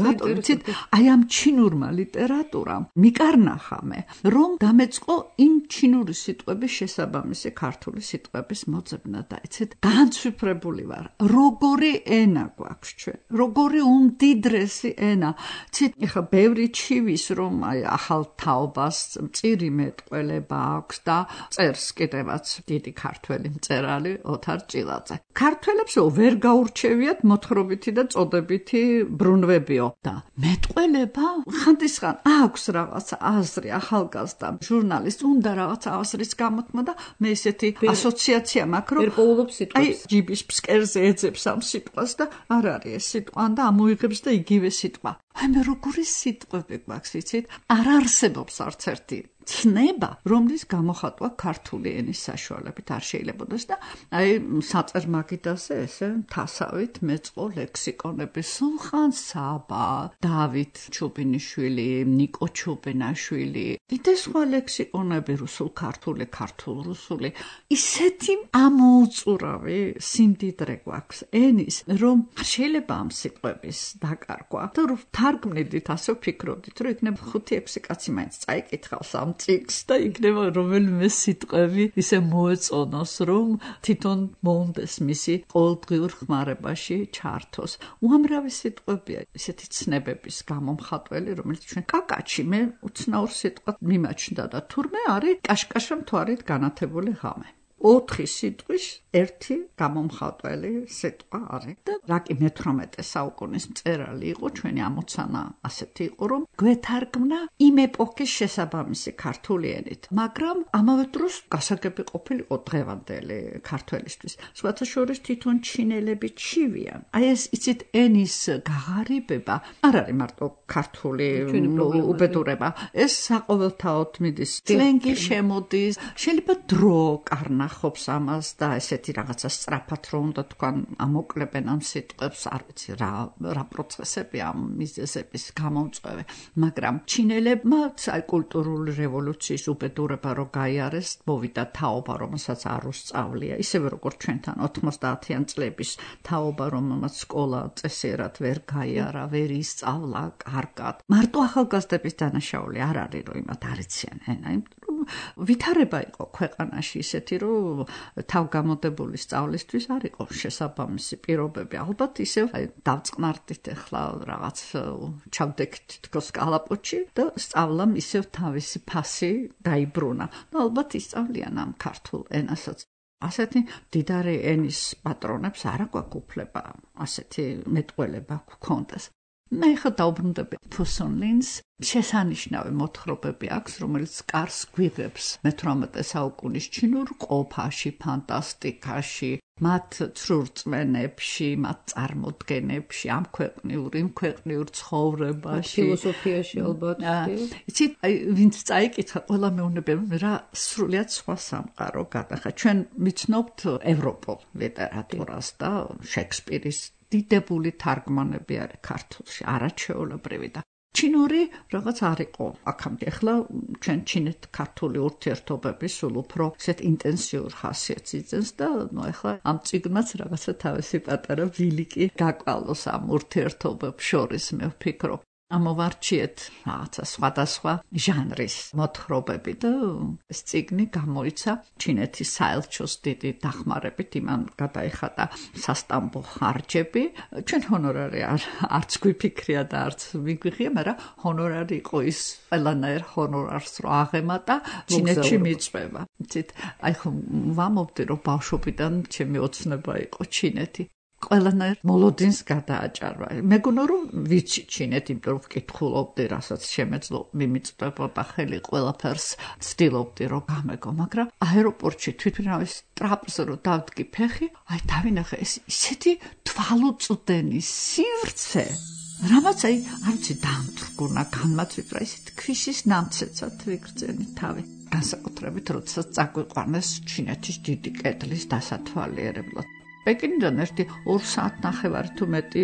რატომ იცით, აი ამ ჩინურმა ლიტერატურამ მიკარნახა მე, რომ დამეწყო იმ ჩინური სიტყვების შესაბამისი ქართული სიტყვების მოძებნა და იცით, განცვიფრებული ვარ. როგორი ენა გვაქვს ჩვენ, როგორი უმდიდრესი ენა. იცით, ეხლა ბევრი ჩივის რომ აი ახალ თაობას მწირი მეტყველება აქვს და წერს კიდევაც დიდი ქართველი მწერალი ოთარ ჭილაძე. ქართველებს ვერ გაურჩევიათ მოთხრობითი და წოდებითი ბრუნვებიო და მეტყველება ხანდისხან აქვს რაღაც აზრი ახალგაზრდა ჟურნალისტ უნდა რაღაც აზრის გამოთქმა და მე ესეთი ასოციაცია მაქვს რომ პოულობს სიტყვას. აი ჯიბის ფსკერზე ეძებს ამ სიტყვას და არ არის ეს სიტყვა და ამოიღებს და იგივე სიტყვა. აი მე როგორი სიტყვები გვაქვს იცით? არ არსებობს არც ერთი ცნება, რომლის გამოხატვა ქართული ენის საშუალებით არ შეიძლებაოდეს და აი საწერ მაგიდაზე ესე თასავით მეწყო ლექსიკონები სულხან საბა, დავით ჩუბინიშვილი, ნიკო ჩუბინაშვილი, კიდე სხვა ლექსიკონები რუსულ ქართული, ქართულ რუსული. ისეთი ამოუწურავი სიმდიდრე გვაქვს ენის, რომ შეიძლება ამ სიტყვების დაკარგვა. თუ თარგმნიდით, ასე ვფიქრობდით, რომ იქნება ხუთი ექვსი კაცი მაინც წაიკითხავს ამ წიგნს და იქნება რომელიმე სიტყვები ისე მოეწონოს, რომ თვითონ მოუნდეს მისი ყოველდღიურ ხმარებაში ჩართოს. უამრავი სიტყვებია ისეთი ცნებების გამომხატველი, რომელიც ჩვენ კაკაჩი მე უცნაურ სიტყვად მიმაჩნდა და თურმე არის კაშკაშა მთვარით განათებული ღამე. ოთხი სიტყვის ერთი გამომხატველი სიტყვა არის და რა კი მეთვრამეტე საუკუნის მწერალი იყო, ჩვენი ამოცანა ასეთი იყო, რომ გვეთარგმნა იმ ეპოქის შესაბამისი ქართული ენით, მაგრამ ამავე დროს გასაგები ყოფილიყო დღევანდელი ქართველისთვის. სხვათა შორის თვითონ ჩინელები ჩივიან. აი ეს იცით ენის გაღარიბება არ არის მარტო ქართული უბედურება, ეს საყოველთაოდ მიდის, სლენგი შემოდის, შეიძლება დრო კარნა ხობს ამას და ესეთი რაღაცა სწრაფად რომ უნდა თქვან ამოკლებენ ამ სიტყვებს, არ ვიცი რა რა პროცესები ამ მიზეზების გამომწვევი, მაგრამ ჩინელებმა აი კულტურული რევოლუციის უბედურება რო გაიარეს, მოვიდა თაობა, რომელსაც არ უსწავლია, ისევე როგორც ჩვენთან ოთხმოცდაათიან წლების თაობა, რომელმაც სკოლა წესიერად ვერ გაიარა, ვერ ისწავლა კარგად. მარტო ახალგაზრდების დანაშაული არ არის, რომ იმათ არ იციან ენა, ვითარება იყო ქვეყანაში ისეთი, რომ თავგამოდებული სწავლისთვის არ იყო შესაბამისი პირობები. ალბათ ისევ დავწყნარდით ახლა რაღაც ჩავდექით თქოს კალაპოჩი და სწავლამ ისევ თავისი ფასი დაიბრუნა. და ალბათ ისწავლიან ამ ქართულ ენასაც. ასეთი დიდარი ენის პატრონებს არ აქვს უფლება ასეთი მეტყველება გქონდეს. მე ხა დაუბრუნდები ფუ სუნ ლინს შესანიშნავი მოთხრობები აქვს, რომელიც კარს გვიღებს მეთვრამეტე საუკუნის ჩინურ ყოფაში, ფანტასტიკაში, მათ ცრურწმენებში, მათ წარმოდგენებში, ამ ქვეყნიურ, იმ ქვეყნიურ ცხოვრებაში, ფილოსოფიაში ალბათ. იცით, ვინც წაიკითხა, ყველა მეუბნება, რა სრულიად სხვა სამყარო გადახა. ჩვენ ვიცნობთ ევროპულ ლიტერატურას და შექსპირის დიდებული თარგმანები არის ქართულში, არაჩვეულებრივი და ჩინური რაღაც არ იყო აქამდე. ახლა ჩვენ ჩინეთ-ქართული ურთიერთობები სულ უფრო ისეთ ინტენსიურ ხასიათს იძენს და ნუ ახლა ამ წიგნმაც რაღაცა თავისი პატარა ბილიკი გაკვალოს ამ ურთიერთობებს შორის, მე ვფიქრობ. ამოვარჩიეთ რაღაცა სხვადასხვა ჟანრის მოთხრობები და ეს წიგნი გამოიცა ჩინეთის საელჩოს დიდი დახმარებით, იმან გადაიხადა სასტამბო ხარჯები. ჩვენ ჰონორარი არც გვიფიქრია და არც მიგვიღია, მაგრამ ჰონორარი იყო ის ყველანაირ ჰონორარს რო აღემატა ჩინეთში მიწვევა. იცით, აი ხომ ვამობდი რომ ბავშვობიდან ჩემი ოცნება იყო ჩინეთი. ყველანაირ მოლოდინს გადააჭარბა. მეგონა რომ ვიცი ჩინეთი, იმიტომ რომ ვკითხულობდი, რასაც შემეძლო მიმიწვებოდა ხელი, ყველაფერს ცდილობდი რომ გამეგო, მაგრამ აეროპორტში თვითმფრინავის ტრაპზე რო დავდგი ფეხი, აი დავინახე ეს ისეთი თვალუწვდენი სივრცე, რამაც აი არცი დამთრგუნა, განმაწვიფრა, ისეთი ქვიშის ნამცეცად ვიგრძენი თავი. განსაკუთრებით როდესაც წაგვიყვანეს ჩინეთის დიდი კედლის დასათვალიერებლად. პეკინიდან ერთი ორ საათნახევარი თუ მეტი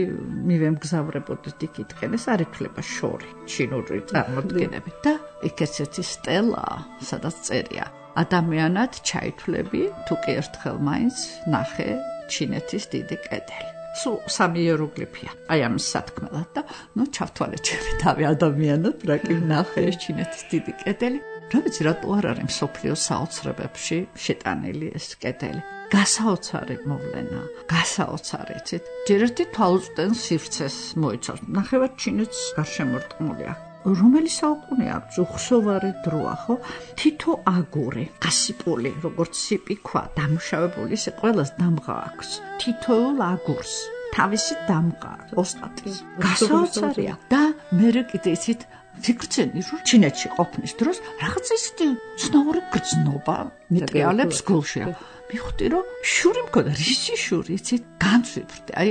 მივემგზავრებოდით იქითკენ, ეს არ ითვლება შორი ჩინური წარმოდგენებით და იქ ესეთი სტელაა, სადაც წერია ადამიანად ჩაითვლები, თუ კი ერთხელ მაინც ნახე ჩინეთის დიდი კედელი. სულ სამი იეროგლიფია. აი ამის სათქმელად და ნუ ჩავთვალე ჩემი თავი ადამიანად, რა კი ვნახე ეს ჩინეთის დიდი კედელი. რა ვიცი, რატო არ არის მსოფლიოს საოცრებებში შეტანილი ეს კედელი. გასაოცარი მოვლენა, გასაოცარი, იცით? ჯერ ერთი თვალუწვდენ სივრცეს მოიცავს. ნახევარ ჩინეთს გარშემორტყმულია. რომელი საუკუნეა, უხსოვარი დროა, ხო? თითო აგური, გასიპული, როგორც სიპი ქვა, დამუშავებული, ისე ყველას დამღა აქვს. თითოეულ აგურს თავისი დამღა, ოსტატის. გასაოცარია და მერე კიდე იცით ვიგრძენი რომ ჩინეთში ყოფნის დროს რაღაც ისეთი ცნაური გრძნობა მიტრიალებს გულში. მივხვდი რომ შური მქონდა, რისი შური, იცით? განცვიფრდი. აი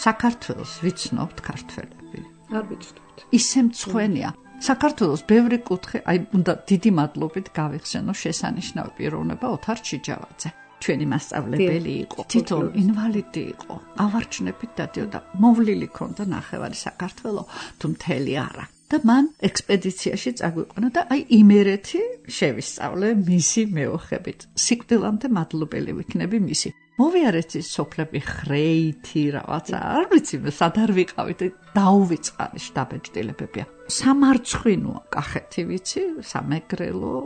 საქართველოს ვიცნობთ ქართველები. არ ვიცნობთ. ისე მწვენია. საქართველოს ბევრი კუთხე, აი უნდა დიდი მადლობით გავიხსენო შესანიშნავი პიროვნება ოთარ ჩიჯავაძე. ჩვენი მასწავლებელი იყო, თვითონ ინვალიდი იყო. ავარჩნებით დადიოდა, მოვლილი ქონდა ნახევარი საქართველო, თუ მთელი არა. და მან ექსპედიციაში წაგვიყვანა და აი იმერეთი შევისწავლე მისი მეოხებით. სიკვდილამდე მადლობელი ვიქნები მისი. მოვიარეთ ის სოფლები ხრეითი რაღაცა, არ ვიცი, სად არ ვიყავით, დაუვიწყარი შტაბ-ჭდილებებია. სამარცხვინოა კახეთი ვიცი, სამეგრელო,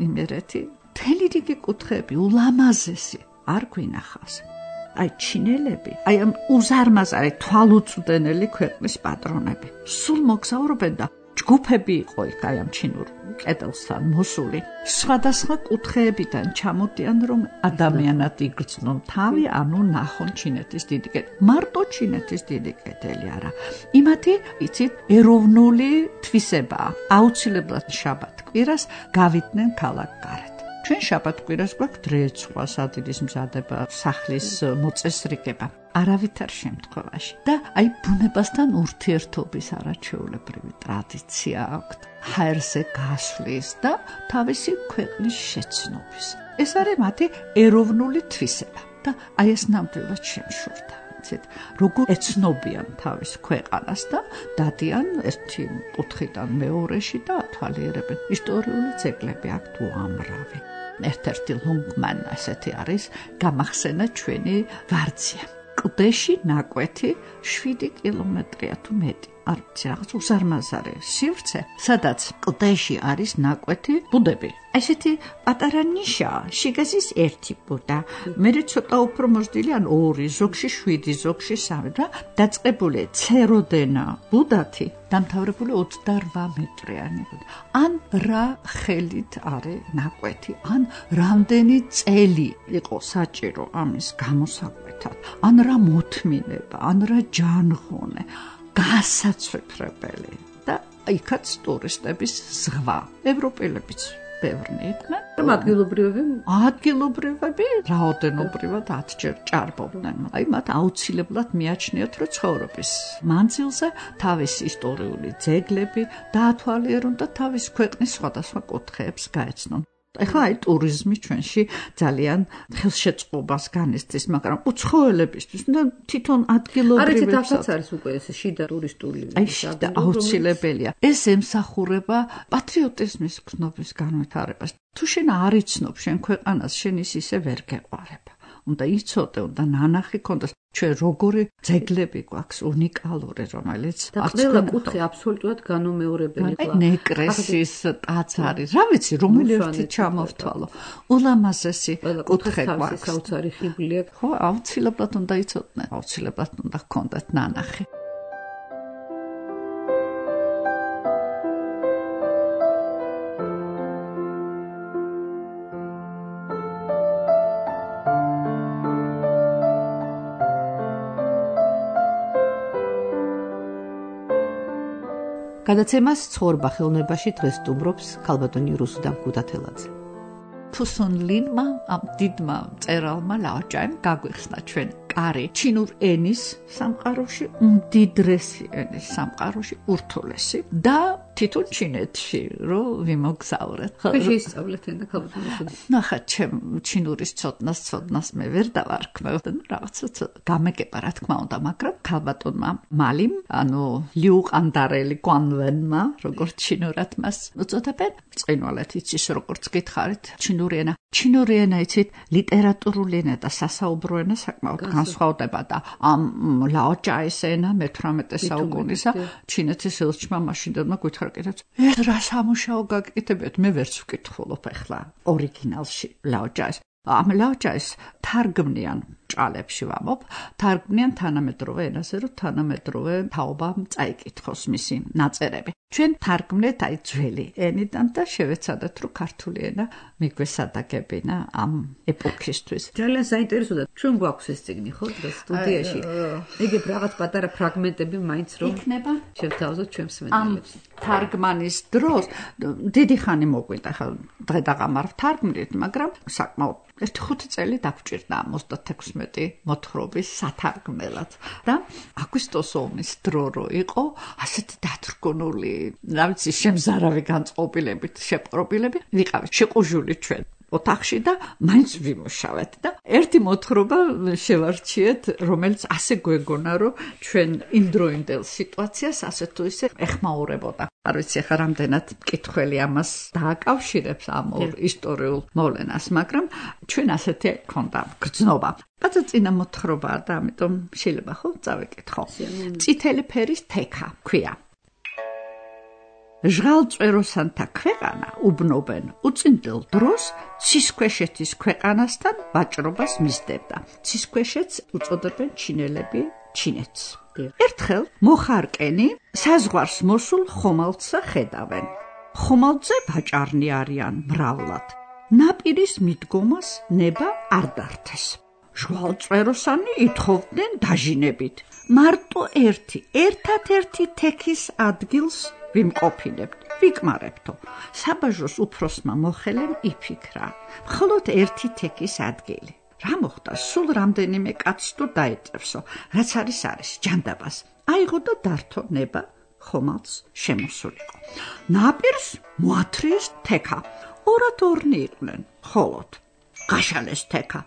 იმერეთი. მთელი რიგი კუთხეები, ულამაზესი, არ გვინახავს. აი ჩინელები, აი ამ უზარმაზარი თვალუწვდენელი ქვეყნის პატრონები. სულ მოგზაურობენ და ჯგუფები იყო იქ აი ამ ჩინურ კედელსთან მოსული. სხვადასხვა კუთხეებიდან ჩამოდიან რომ ადამიანად იგრძნონ თავი, ანუ ნახონ ჩინეთის დიდი კედელი. მარტო ჩინეთის დიდი კედელი არა. იმათი, იცით, ეროვნული თვისებაა. აუცილებლად შაბათ-კვირას გავიდნენ ქალაქგარეთ. ჩვენ შაბათ-კვირას გვაქვს დრეცვა, სადილის მზადება, სახლის მოწესრიგება. არავითარ შემთხვევაში. და აი ბუნებასთან ურთიერთობის არაჩვეულებრივი ტრადიცია აქვთ. ჰაერზე გასვლის და თავისი ქვეყნის შეცნობის. ეს არის მათი ეროვნული თვისება და აი ეს ნამდვილად შემშურდა. როგორ ეცნობიან თავის ქვეყანას და დადიან ერთი კუთხიდან მეორეში და ათვალიერებენ. ისტორიული ძეგლები აქვთ უამრავი. ერთ-ერთი ლონგმან ასეთი არის გამახსენა ჩვენი ვარძია. კლდეში ნაკვეთი შვიდი კილომეტრია თუ მეტი. არ ვიცი, რაღაც უზარმაზარი სივრცე, სადაც კლდეში არის ნაკვეთი ბუდები. ესეთი პატარა ნიშაა, შიგაზის ერთი ბუდა. მერე ცოტა უფრო მოსდილი, ან ორი, ზოგში შვიდი, ზოგში სამი და დაწყებული ცეროდენა ბუდათი, დამთავრებული ოცდარვა მეტრიანი ბუდა. ან რა ხელით არის ნაკვეთი, ან რამდენი წელი იყო საჭირო ამის გამოსაკვეთად, ან რა მოთმინება, ან რა ჯანღონე. გასაცვიფრებელი და იქაც ტურისტების ზღვა. ევროპელებიც ბევრნი იყვნენ. ადგილობრივები ადგილობრივები რაოდენობრივად ათჯერ ჭარბობდნენ. აი მათ აუცილებლად მიაჩნიათ, რომ ცხოვრების მანძილზე თავის ისტორიული ძეგლები დაათვალიერონ და თავის ქვეყნის სხვადასხვა კუთხეებს გაეცნონ. ეხლა აი ტურიზმი ჩვენში ძალიან ხელშეწყობას განიცდის, მაგრამ უცხოელებისთვის და თვითონ ადგილობრივებს არიცით არის უკვე ეს შიდა ტურისტული აი შიდა აუცილებელია. ეს ემსახურება პატრიოტიზმის გზნობის განვითარებას. თუ შენ არ იცნობ შენ ქვეყანას, შენ ის ისე ვერ გეყარება. უნდა იცოდე, უნდა ნანახი ქონდეს. ჩვენ როგორი ძეგლები გვაქვს უნიკალური, რომელიც და ყველა კუთხე აბსოლუტურად განუმეორებელი ყლა. ნეკრესის ტაძარი, რა ვიცი, რომელი ერთი ჩამოვთვალო. ულამაზესი კუთხე გვაქვს. საოცარი ხიბლი აქვს. ხო, აუცილებლად უნდა იცოდნენ, აუცილებლად უნდა ჰქონდეთ ნანახი. გადაცემას ცხოვრება ხელოვნებაში დღეს სტუმრობს ქალბატონი რუსუ დამკუთათელაძე. ფუსონლინმა ამ დიდმა მწერალმა ლაოჭაიმ გაგვიხსნა ჩვენ კარი ჩინურ ენის სამყაროში, უმდიდრესი ენის სამყაროში, ურთულესი და თვითონ ჩინეთში რო ვიმოგზავრეთ. ხო, შეისწავლეთ ენა ქალბატონი. ნახა, ჩემ ჩინურის ცოდნას ცოდნას მე ვერ დავარქმევ და რაღაცა გამეკება რა თქმა უნდა, მაგრამ ქალბატონმა მალიმ, ანუ ლიუყანდარელი კვანვენმა, როგორც ჩინურად მას უწოდებენ, წინვალეთ იცის როგორც გითხარით, ჩინური ენა. ჩინური ენა იცით, ლიტერატურული ენა და სასაუბრო ენა საკმაოდ განსხვავდება და ამ ლაოჭაის ენა მეთვრამეტე საუკუნისა ჩინეთის ელჩმა მაშინდელმა გვითხრაკეთებს. ეს რა სამუშაო გაკეთებიათ, მე ვერც ვკითხულობ ახლა ორიგინალში ლაოჭაის. ამ ლაოჭაის თარგმნიან ჭალებში ვამბობ, თარგმნიან თანამედროვე ენაზე, რომ თანამედროვე თაობამ წაიკითხოს მისი ნაწერები. ჩვენ თარგმნეთ აი ძველი ენიდან და შევეცადეთ, რომ ქართული ენა მიგვესადაგებინა ამ ეპოქისთვის. ძალიან საინტერესოა. ჩვენ გვაქვს ეს წიგნი, ხო, დღეს სტუდიაში. იგივე რაღაც პატარა ფრაგმენტები მაინც რომ იქნება შევთავაზოთ ჩვენ მსმენელებს. თარგმანის დროს დიდი ხანი მოგვიდა, ხა დღე და ღამარ ვთარგმნით, მაგრამ საკმაოდ ერთი ხუთი წელი დაგვჭირდა ოცდათექვსმეტი მოთხრობის სათარგმნელად და აგვისტოს ომის დრო რო იყო ასეთი დათრგუნული, რა ვიცი, შემზარავი განწყობილებით, შეპყრობილები ვიყავით შეყუჟული ჩვენ ოთახში და მაინც ვიმუშავეთ და ერთი მოთხრობა შევარჩიეთ, რომელიც ასე გვეგონა, რომ ჩვენ იმდროინდელ სიტუაციას ასე თუ ისე ეხმაურებოდა. არ ვიცი ახლა რამდენად მკითხველი ამას დააკავშირებს ამ ორ ისტორიულ მოვლენას, მაგრამ ჩვენ ასეთი ქონდა გრძნობა. რაცა წინა მოთხრობაა და ამიტომ შეიძლება ხო წავეკითხო. წითელი ფერის თექა ქვია. ჟღალწვეროსანთა ქვეყანა უბნობენ უწინდელ დროს ცისქვეშეთის ქვეყანასთან ვაჭრობას მისდებდა. ცისქვეშეთს უწოდებენ ჩინელები ჩინეთს. ერთხელ მოხარკენი საზღვარს მოსულ ხომალდსა ხედავენ. ხომალდზე ვაჭარნი არიან მრავლად. ნაპირის მიდგომას ნება არ დართეს. ჟღალწვეროსანი ითხოვდნენ დაჟინებით. მარტო ერთი, ერთად-ერთი თექის ადგილს ვიმყოფინებთ, ვიკმარებთო. საბაჟოს უფროსმა მოხელემ იფიქრა, მხოლოდ ერთი თექის ადგილი. რა მოხდა, სულ რამდენიმე კაცს თუ დაეწევსო, რაც არის არის ჯანდაბას. აიღო და დართო ნება ხომალდს შემოსულიყო. ნაპირს მოათრიეს თექა. ორად ორნი იყვნენ, ხოლოდ გაშალეს თექა.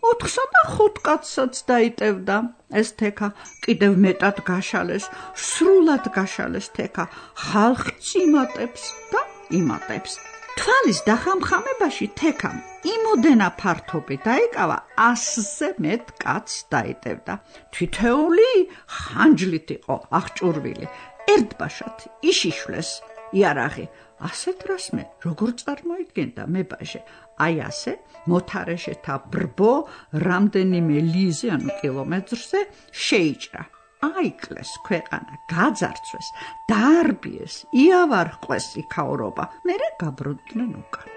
ოთხსა და ხუთ კაცსაც დაიტევდა ეს თექა. კიდევ მეტად გაშალეს, სრულად გაშალეს თექა. ხალხიც იმატებს და იმატებს. თვალის დახამხამებაში თექამ იმოდენა ფართობი დაიკავა, ასზე მეტ კაცს დაიტევდა. თითეული ხანჯლით იყო აღჭურვილი. ერთბაშად იშიშვლეს იარაღი. ასეთ რას მე როგორ წარმოიდგენდა მებაჟე? აი ასე მოთარეშეთა ბრბო რამდენიმე ლიზე, ანუ კილომეტრზე შეიჭრა. აიკლეს ქვეყანა, გაძარცვეს, დაარბიეს, იავარყეს იქაურობა. მერე გაბრუნდნენ უკან.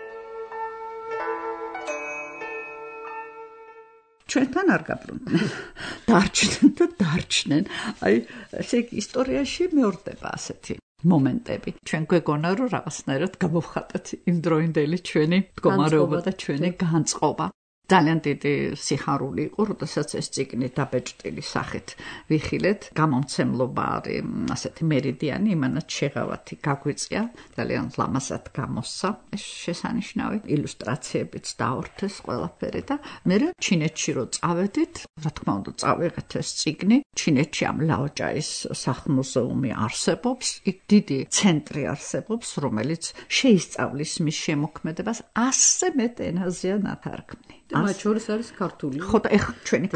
ჩვენთან არ გაბრუნდნენ. დარჩნენ და დარჩნენ. აი, ესე იგი ისტორიაში მეორდება ასეთი მომენტები. ჩვენ გვეგონა, რომ რაღაცნაირად გამოვხატეთ იმდროინდელი ჩვენი მდგომარეობა და ჩვენი განწყობა. ძალიან დიდი სიხარული იყო, როდესაც ეს წიგნი დაბეჭდილი სახით ვიხილეთ. გამომცემლობა არის ასეთი მერიდიანი, იმანაც შეღავათი გაგვიწია, ძალიან ლამაზად გამოსცა ეს შესანიშნავი ილუსტრაციებიც დაორთეს ყველაფერი და მე ჩინეთში რო წავედით, რა თქმა უნდა წავიღეთ ეს წიგნი. ჩინეთში ამ ლაოჭაის სახლ-მუზეუმი არსებობს, იქ დიდი ცენტრი არსებობს, რომელიც შეისწავლის მის შემოქმედებას ასზე მეტ ენაზეა ნათარგმნი. მათ შორის არის ქართული. ხო და ეხლა ჩვენი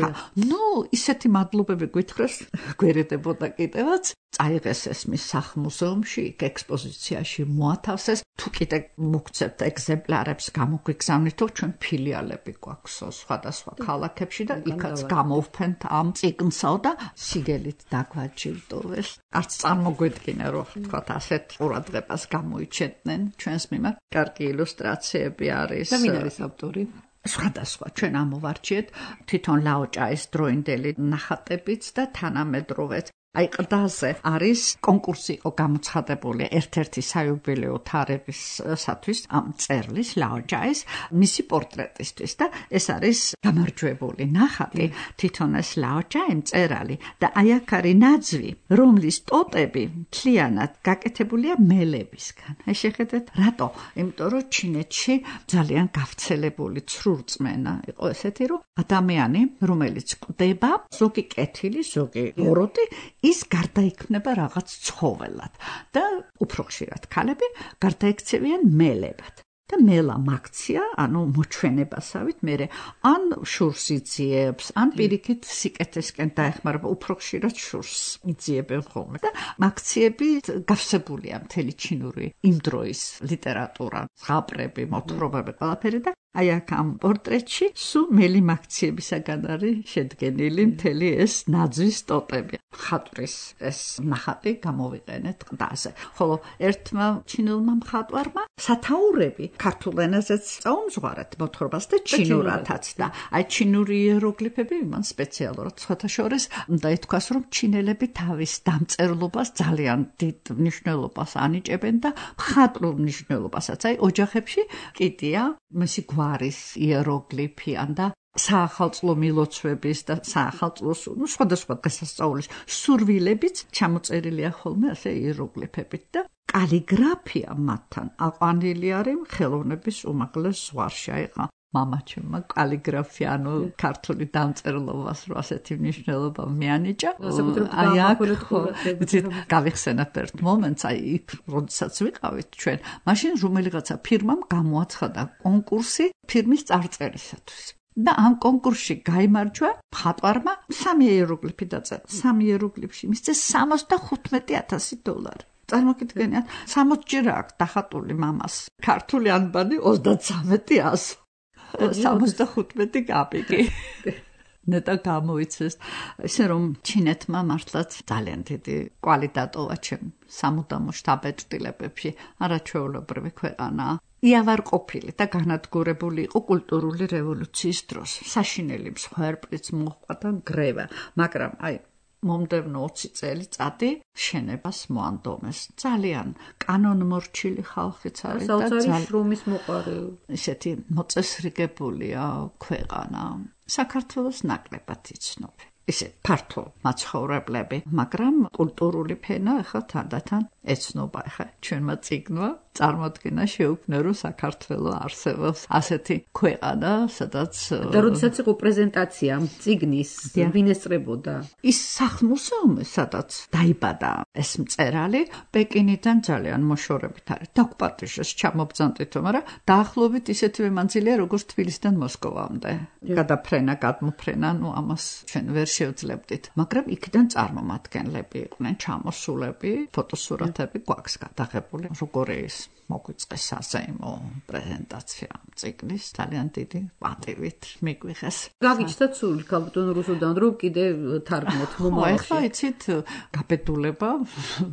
ნუ ისეთი მადლობები გითხრას გვერდებოდა კიდევაც წაიღეს ეს მის სახლ-მუზეუმში, იქ ექსპოზიციაში მოათავსეს, თუ კიდე მოგცემთ ეგზემპლარებს გამოგვიგზავნით, თუ ჩვენ ფილიალები გვაქვს სხვადასხვა ქალაქებში და იქაც გამოვფენთ ამ წიგნსა და სიგელით დაგვაჯილდოვეს. არც წარმოგვედგინა რომ თქვათ ასეთ ყურადღებას გამოიჩენდნენ ჩვენს მიმართ. კარგი ილუსტრაციები არის. და ვინ არის ავტორი? სხვადასხვა ჩვენ ამოვარჩიეთ თვითონ ლაოჭაის დროინდელი ნახატებიც და თანამედროვეც. აი ყდაზე არის კონკურსი იყო გამოცხადებული ერთ-ერთი საიუბილეო თარებისათვის ამ წერლის ლაოჭაის მისი პორტრეტისთვის და ეს არის გამარჯვებული ნახატი თვითონ ეს ლაოჭაი მწერალი და აი აქ არის ნაძვი რომლის ტოტები მთლიანად გაკეთებულია მელებისგან. აი შეხედეთ რატო? იმიტომ რომ ჩინეთში ძალიან გავრცელებული ცრურწმენა იყო ესეთი რომ ადამიანი რომელიც კვდება ზოგი კეთილი ზოგი ბოროტი ის გარდაიქმნება რაღაც ცხოველად და უფრო ხშირად ქალები გარდაიქცევიან მელებად და მელა მაქცია, ანუ მოჩვენებასავით მერე ან შურს იძიებს, ან პირიქით სიკეთესკენ დაეხმარება, უფრო ხშირად შურს იძიებენ ხოლმე და მაქციები გავსებულია მთელი ჩინური იმ დროის ლიტერატურა, ზღაპრები, მოთხრობები, ყველაფერი და აი აქ ამ პორტრეტში სულ მელი მაქციებისაგან არის შედგენილი მთელი ეს ნაძვის ტოტები. მხატვრის ეს ნახატი გამოვიყენეთ ყდაზე. ხოლო ერთმა ჩინელმა მხატვარმა სათაურები ქართულ ენაზეც წაუმზღვარეთ მოთხრობას და ჩინურათაც და აი ჩინური იეროგლიფები მან სპეციალურად სხვათა შორის უნდა ითქვას რომ ჩინელები თავის დამწერლობას ძალიან დიდ მნიშვნელობას ანიჭებენ და მხატვრულ მნიშვნელობასაც. აი ოჯახებში კიდია მისი გვარის იეროგლიფიან და საახალწლო მილოცვების და საახალწლო სხვადასხვა დღესასწაულის სურვილებიც ჩამოწერილია ხოლმე ასე იეროგლიფებით და კალიგრაფია მათთან აყვანილი არის ხელოვნების უმაღლეს ზღვარში. აიყო მამაჩემმა კალიგრაფია, ანუ ქართული დამწერლობას რო ასეთი მნიშვნელობა მიანიჭა. აი აქ გავიხსენებ ერთ მომენტს, აი იქ როდესაც ვიყავით ჩვენ, მაშინ რომელიღაცა ფირმამ გამოაცხადა კონკურსი ფირმის წარწერისათვის. და ამ კონკურსში გაიმარჯვა მხატვარმა სამი იეროგლიფი დაწერა. სამი იეროგლიფში მისცეს სამოცდახუთმეტი ათასი დოლარი. წარმოგიდგენიათ, სამოცჯერ აქვს დახატული მამას. ქართული ანბანი ოცდაცამეტი ას. სამოცდახუთმეტი კაპიკი. ნეტა გამოიცეს. ისე რომ ჩინეთმა მართლაც ძალიან დიდი კვალი დატოვა ჩემ სამუდამო შთაბეჭდილებებში. არაჩვეულებრივი ქვეყანაა. იავარყოფილი და განადგურებული იყო კულტურული რევოლუციის დროს. საშინელი მსხვერპლიც მოჰყვა და გრევა, მაგრამ აი მომდევნო ოცი წელიწადი შენებას მოანდომეს. ძალიან კანონმორჩილი ხალხიც არის და ძალიან შრომის მოყარი. ისეთი მოწესრიგებულია ქვეყანა. საქართველოს ნაკლებად იცნობენ. ისე ფართო მაცხოვრებლები, მაგრამ კულტურული ფენა ახლა თანდათან ეცნობა. ახლა ჩვენმა წიგნმა წარმოადგინა შეუქმნა რომ საქართველოს არსებობს ასეთი ქვეყანა, სადაც და როდესაც იყო პრეზენტაცია წიგნის, ვინ ესწრებოდა? ის სახლ-მუზეუმი, სადაც დაიბადა ეს მწერალი, პეკინიდან ძალიან მოშორებით არის. დაგპატიჟეს ჩამობძანტითო, მაგრამ დაახლოებით ისეთივე მანძილია, როგორც თბილისიდან მოსკოვამდე. გადაფრენა, გადმოფრენა, ნუ ამას ჩვენ ვერ შევძლებდით. მაგრამ იქიდან წარმომადგენლები იყვნენ ჩამოსულები, ფოტოსურათები გვაქვს გადაღებული. როგორი ის მოგვიწყეს საზეიმო პრეზენტაცია წიგნის ძალიან დიდი პატივით მიგვიღეს. გაგიჩნდათ სული ქალბატონ რუსუდან რომ კიდე თარგმნოთ მომავალში. ახლა იცით გაბედულება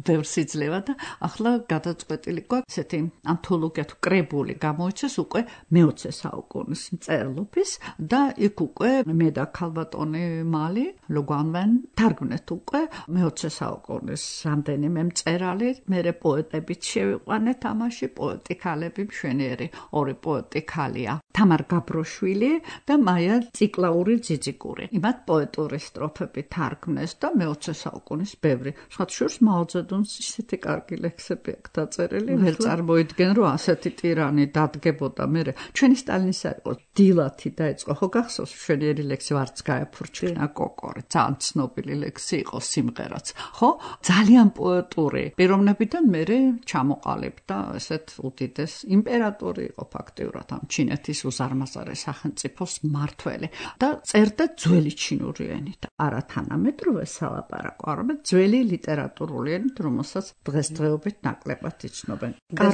ბევრს იძლევა და ახლა გადაწყვეტილი გვაქვს ესეთი ანთოლოგია თუ კრებული გამოიცეს უკვე მეოცე საუკუნის მწერლობის და იქ უკვე მე და ქალბატონი მალი ლოგვანვენ თარგმნეთ უკვე მეოცე საუკუნის რამდენიმე მწერალი, მერე პოეტებიც შევიყვანეთ ამაში. პოეტი ქალები მშვენიერი ორი პოეტი ქალია თამარ გაბროშვილი და მაია ციკლაური ძიძიკური. იმათ პოეტური სტროფები თარგმნეს და მეოცე საუკუნის ბევრი. სხვა შორს მაოძედუნს ისეთი კარგი ლექსები აქვს დაწერილი. ვერ წარმოიდგენ რომ ასეთი ტირანი დადგებოდა მერე. ჩვენი სტალინის იყო დილათი დაიწყო. ხო გახსოვს მშვენიერი ლექსი ვარც გაეფურჩქნა კოკორი. ძალიან ცნობილი ლექსი იყო სიმღერაც. ხო ძალიან პოეტური პიროვნებიდან მერე ჩამოყალიბდა ესეთ უდიდეს იმპერატორი იყო ფაქტიურად ამ ჩინეთის უზარმაზარი სახელმწიფოს მმართველი და წერდა ძველი ჩინური ენით, არა თანამედროვე სალაპარაკო, არამედ ძველი ლიტერატურული ენით, რომელსაც დღესდღეობით ნაკლებად იცნობენ.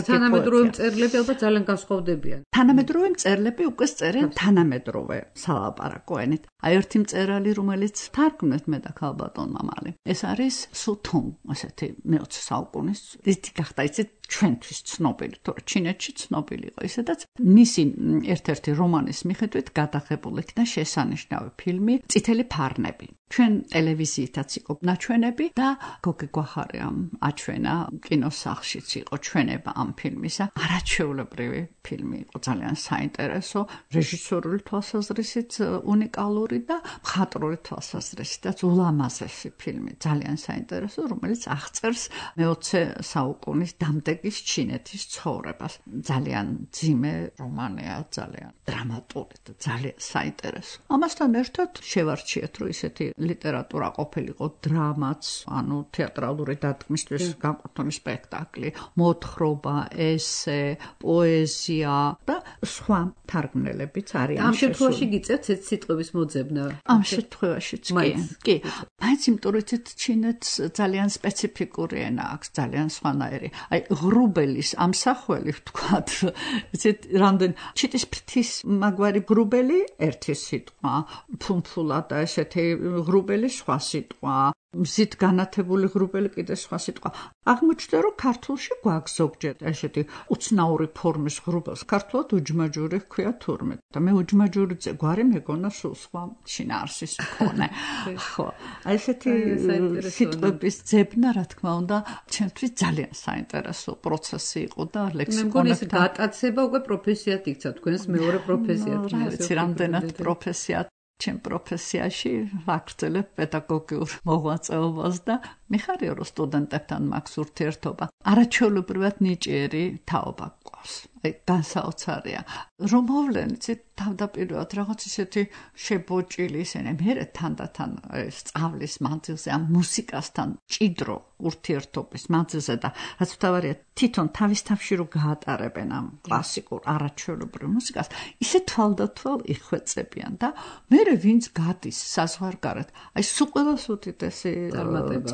თანამედროვე მწერლები ალბათ ძალიან განსხვავდებიან. თანამედროვე მწერლები უკვე წერენ თანამედროვე სალაპარაკო ენით. აი ერთი მწერალი, რომელიც თარგმნეთ მე და ქალბატონ მამალი. ეს არის სუთუნ, ასეთი მეოცე საუკუნის დიდი გახდა იცით ჩვენთვის ცნობილი, თორე ჩინეთში ცნობილი იყო ისედაც მისი ერთ-ერთი რომანის მიხედვით გადაღებული იქნა შესანიშნავი ფილმი წითელი ფარნები. ჩვენ ტელევიზიითაც იყო ნაჩვენები და გოგი გვახარიამ აჩვენა კინოსახლშიც იყო ჩვენება ამ ფილმისა. არაჩვეულებრივი ფილმი იყო, ძალიან საინტერესო, რეჟისორული თვალსაზრისით უნიკალური და მხატვრული თვალსაზრისითაც ულამაზესი ფილმი, ძალიან საინტერესო, რომელიც აღწერს მეოცე საუკუნის დამდეგის ჩინეთის ცხოვრებას. ძალიან ძიმე რომანია, ძალიან დრამატული და ძალიან საინტერესო. ამასთან ერთად შევარჩიეთ, რომ ისეთი ლიტერატურა ყოფილიყო დრამაც, ანუ თეატრალური დადგმისთვის განკუთვნილი სპექტაკლი, მოთხრობა, ესე, პოეზია და სხვა თარგმნელებიც არიან. ამ შემთხვევაში გიწევთ ეს სიტყვების მოძებნა? ამ შემთხვევაშიც კი. კი. მაინც იმიტომ რომ ჩინეთს ძალიან სპეციფიკური ენა აქვს, ძალიან სხვანაირი. აი ღრუბელის ამსახველი ვთქვათ, იცით, რამდენ ჩიტის ფრთის მაგვარი ღრუბელი ერთი სიტყვა, ფუმფულა და ესეთი ღრუბელი სხვა სიტყვა, მზით განათებული ღრუბელი კიდე სხვა სიტყვა. აღმოჩნდა რომ ქართულში გვაქვს ზოგჯერ ესეთი უცნაური ფორმის ღრუბელს, ქართულად უჯმაჯური ჰქვია თურმე და მე უჯმაჯურიძე გვარი მეგონა სულ სხვა შინაარსის მქონე. ხო, აი ესეთი სიტყვების ძებნა, რა თქმა უნდა, ჩემთვის ძალიან საინტერესო პროცესი იყო და ლექსიკონებთან გატაცება უკვე პროფესიად იქცა, თქვენს მეორე პროფესიად. ვიცი, რამდენად პროფესიად ჩემ პროფესიაში ვაგრძელებ პედაგოგიურ მოღვაწეობას და მიხარია რომ სტუდენტებთან მაქვს ურთიერთობა. არაჩვეულებრივად ნიჭიერი თაობა გვყავს. აი განსაოცარია. რომ მოვლენიც თავდაპირველად რაღაც ისეთი შებოჭილი ისინი მერე თანდათან სწავლის მანძილზე ამ მუსიკასთან ჭიდრო ურთიერთობის მანძილზე და რაც თავარია თვითონ თავის თავში რო გაატარებენ ამ კლასიკურ არაჩვეულებრივ მუსიკას, ისე თვალდათვალ იხვეწებიან და მერე ვინც გადის საზღვარგარეთ, აი სულ ყველას უდიდესი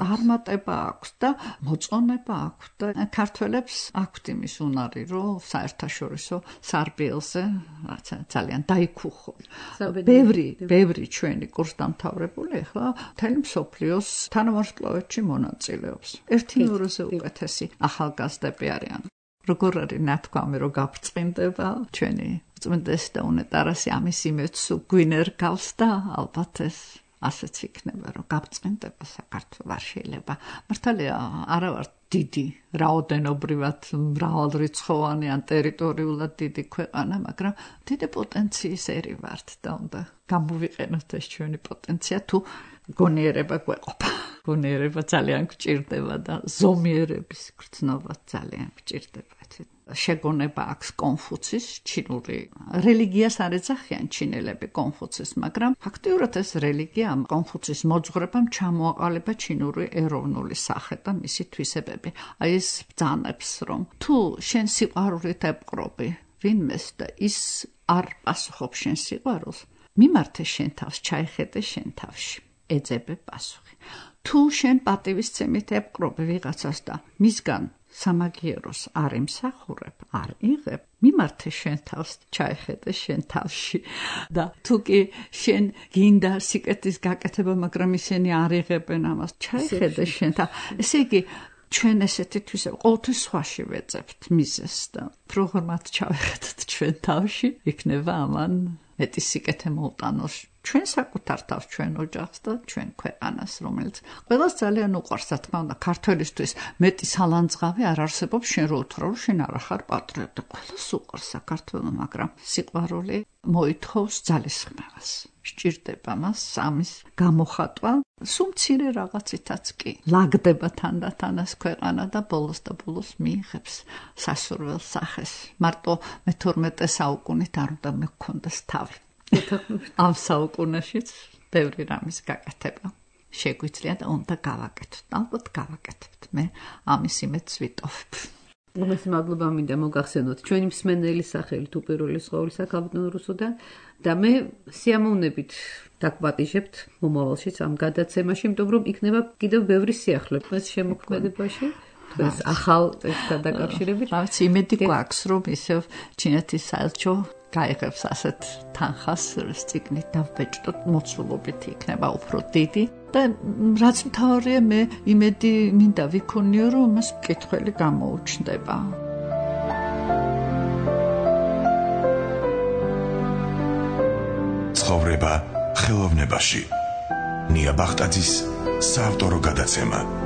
წარმატება აქვს და მოწონება აქვს და ქართველებს აქვთ იმის უნარი, რომ საერთაშორისო სარბიელზე რაცა ძალიან დაიქუხონ. ბევრი, ბევრი ჩვენი კურსდამთავრებული ახლა მთელი მსოფლიოს თანავარსკვლავედში მონაწილეობს. ერთი ნუროზე უკეთესი ახალგაზრდები არიან. როგორ არის ნათქვამი, რომ გაბრწყინდება ჩვენი წმინდეს და უნეტარასი ამის იმედს გვინერგავს და ალბათ ეს ასეც იქნება, რომ გაბრწყინდება საქართველო არ შეიძლება. მართალია არა ვარ დიდი, რაოდენობრივად მრავალრიცხოვანი ან ტერიტორიულად დიდი ქვეყანა, მაგრამ დიდი პოტენციის ერი ვართ და უნდა გამოვიყენოთ ეს ჩვენი პოტენცია თუ გონიერება გვეყოფა. გონიერება ძალიან გჭირდება და ზომიერების გრძნობა ძალიან გჭირდება. შეგონება აქვს კონფუცის, ჩინური რელიგიას არ ეძახიან ჩინელები კონფუცის, მაგრამ ფაქტიურად ეს რელიგია ამ კონფუცის მოძღვრებამ ჩამოაყალიბა ჩინური ეროვნული სახე და მისი თვისებები. აი ეს ბრძანებს, რომ თუ შენ სიყვარულით ებყრობი ვინმეს და ის არ პასუხობს შენ სიყვარულს, მიმართე შენ თავს, ჩაიხედე შენ თავში. ეძებე პასუხი. თუ შენ პატივისცემით ებყრობი ვიღაცას და მისგან სამაგიეროს არ იმსახურებ, არ იღებ, მიმართე შენ თავს, ჩაიხედე შენ თავში და თუ კი შენ გინდა სიკეთის გაკეთება, მაგრამ ისინი არ იღებენ ამას, ჩაიხედე შენ თავს. ესე იგი ჩვენ ესეთი თვისება ყოველთვის სხვაში ვეძებთ მიზეს და როგორ მათ ჩავიხედოთ ჩვენ თავში, იქნება ამან მეტი სიკეთე მოუტანოს ჩვენ საკუთარ თავს, ჩვენ ოჯახს და ჩვენ ქვეყანას, რომელიც ყველას ძალიან უყვარს, რა თქმა უნდა, ქართველისთვის მეტი სალანძღავი არ არსებობს, შენ რო უთხრა, რომ შენ არ ახარ პატრიოტი, ყველას უყვარს საქართველო, მაგრამ სიყვარული მოითხოვს ძალისხმევას. სჭირდება მას ამის გამოხატვა, სულ მცირე რაღაცითაც კი. ლაგდება თანდათან ეს ქვეყანა და ბოლოს და ბოლოს მიიღებს სასურველ სახეს. მარტო მეთორმეტე საუკუნით არ უნდა მეკონდეს თავი. ამ საუკუნეშიც ბევრი რამის გაკეთება შეგვიძლია და უნდა გავაკეთოთ. ალბათ გავაკეთებთ. მე ამის იმედს ვიტოვებ. უმეტეს მადლობა მინდა მოგახსენოთ ჩვენი მსმენელი სახელი თუ პირველი სხეულისა ქალბატონ რუსუდან და მე სიამოვნებით დაგვატიჟებთ მომავალშიც ამ გადაცემაში, იმიტომ რომ იქნება კიდევ ბევრი სიახლე ეს შემოქმედებაში. ეს ახალ ტექსტთან დაკავშირებით. რაც იმედი გვაქვს, რომ ისევ ჩინეთის საელჩო გაიღებს ასეთ თანხას წიგნით დავბეჭდოთ, მოცულობით იქნება უფრო დიდი და რაც მთავარია მე იმედი მინდა ვიქონიო, რომ მას მკითხველი გამოუჩნდება. ცხოვრება ხელოვნებაში. ნია ბახტაძის საავტორო გადაცემა.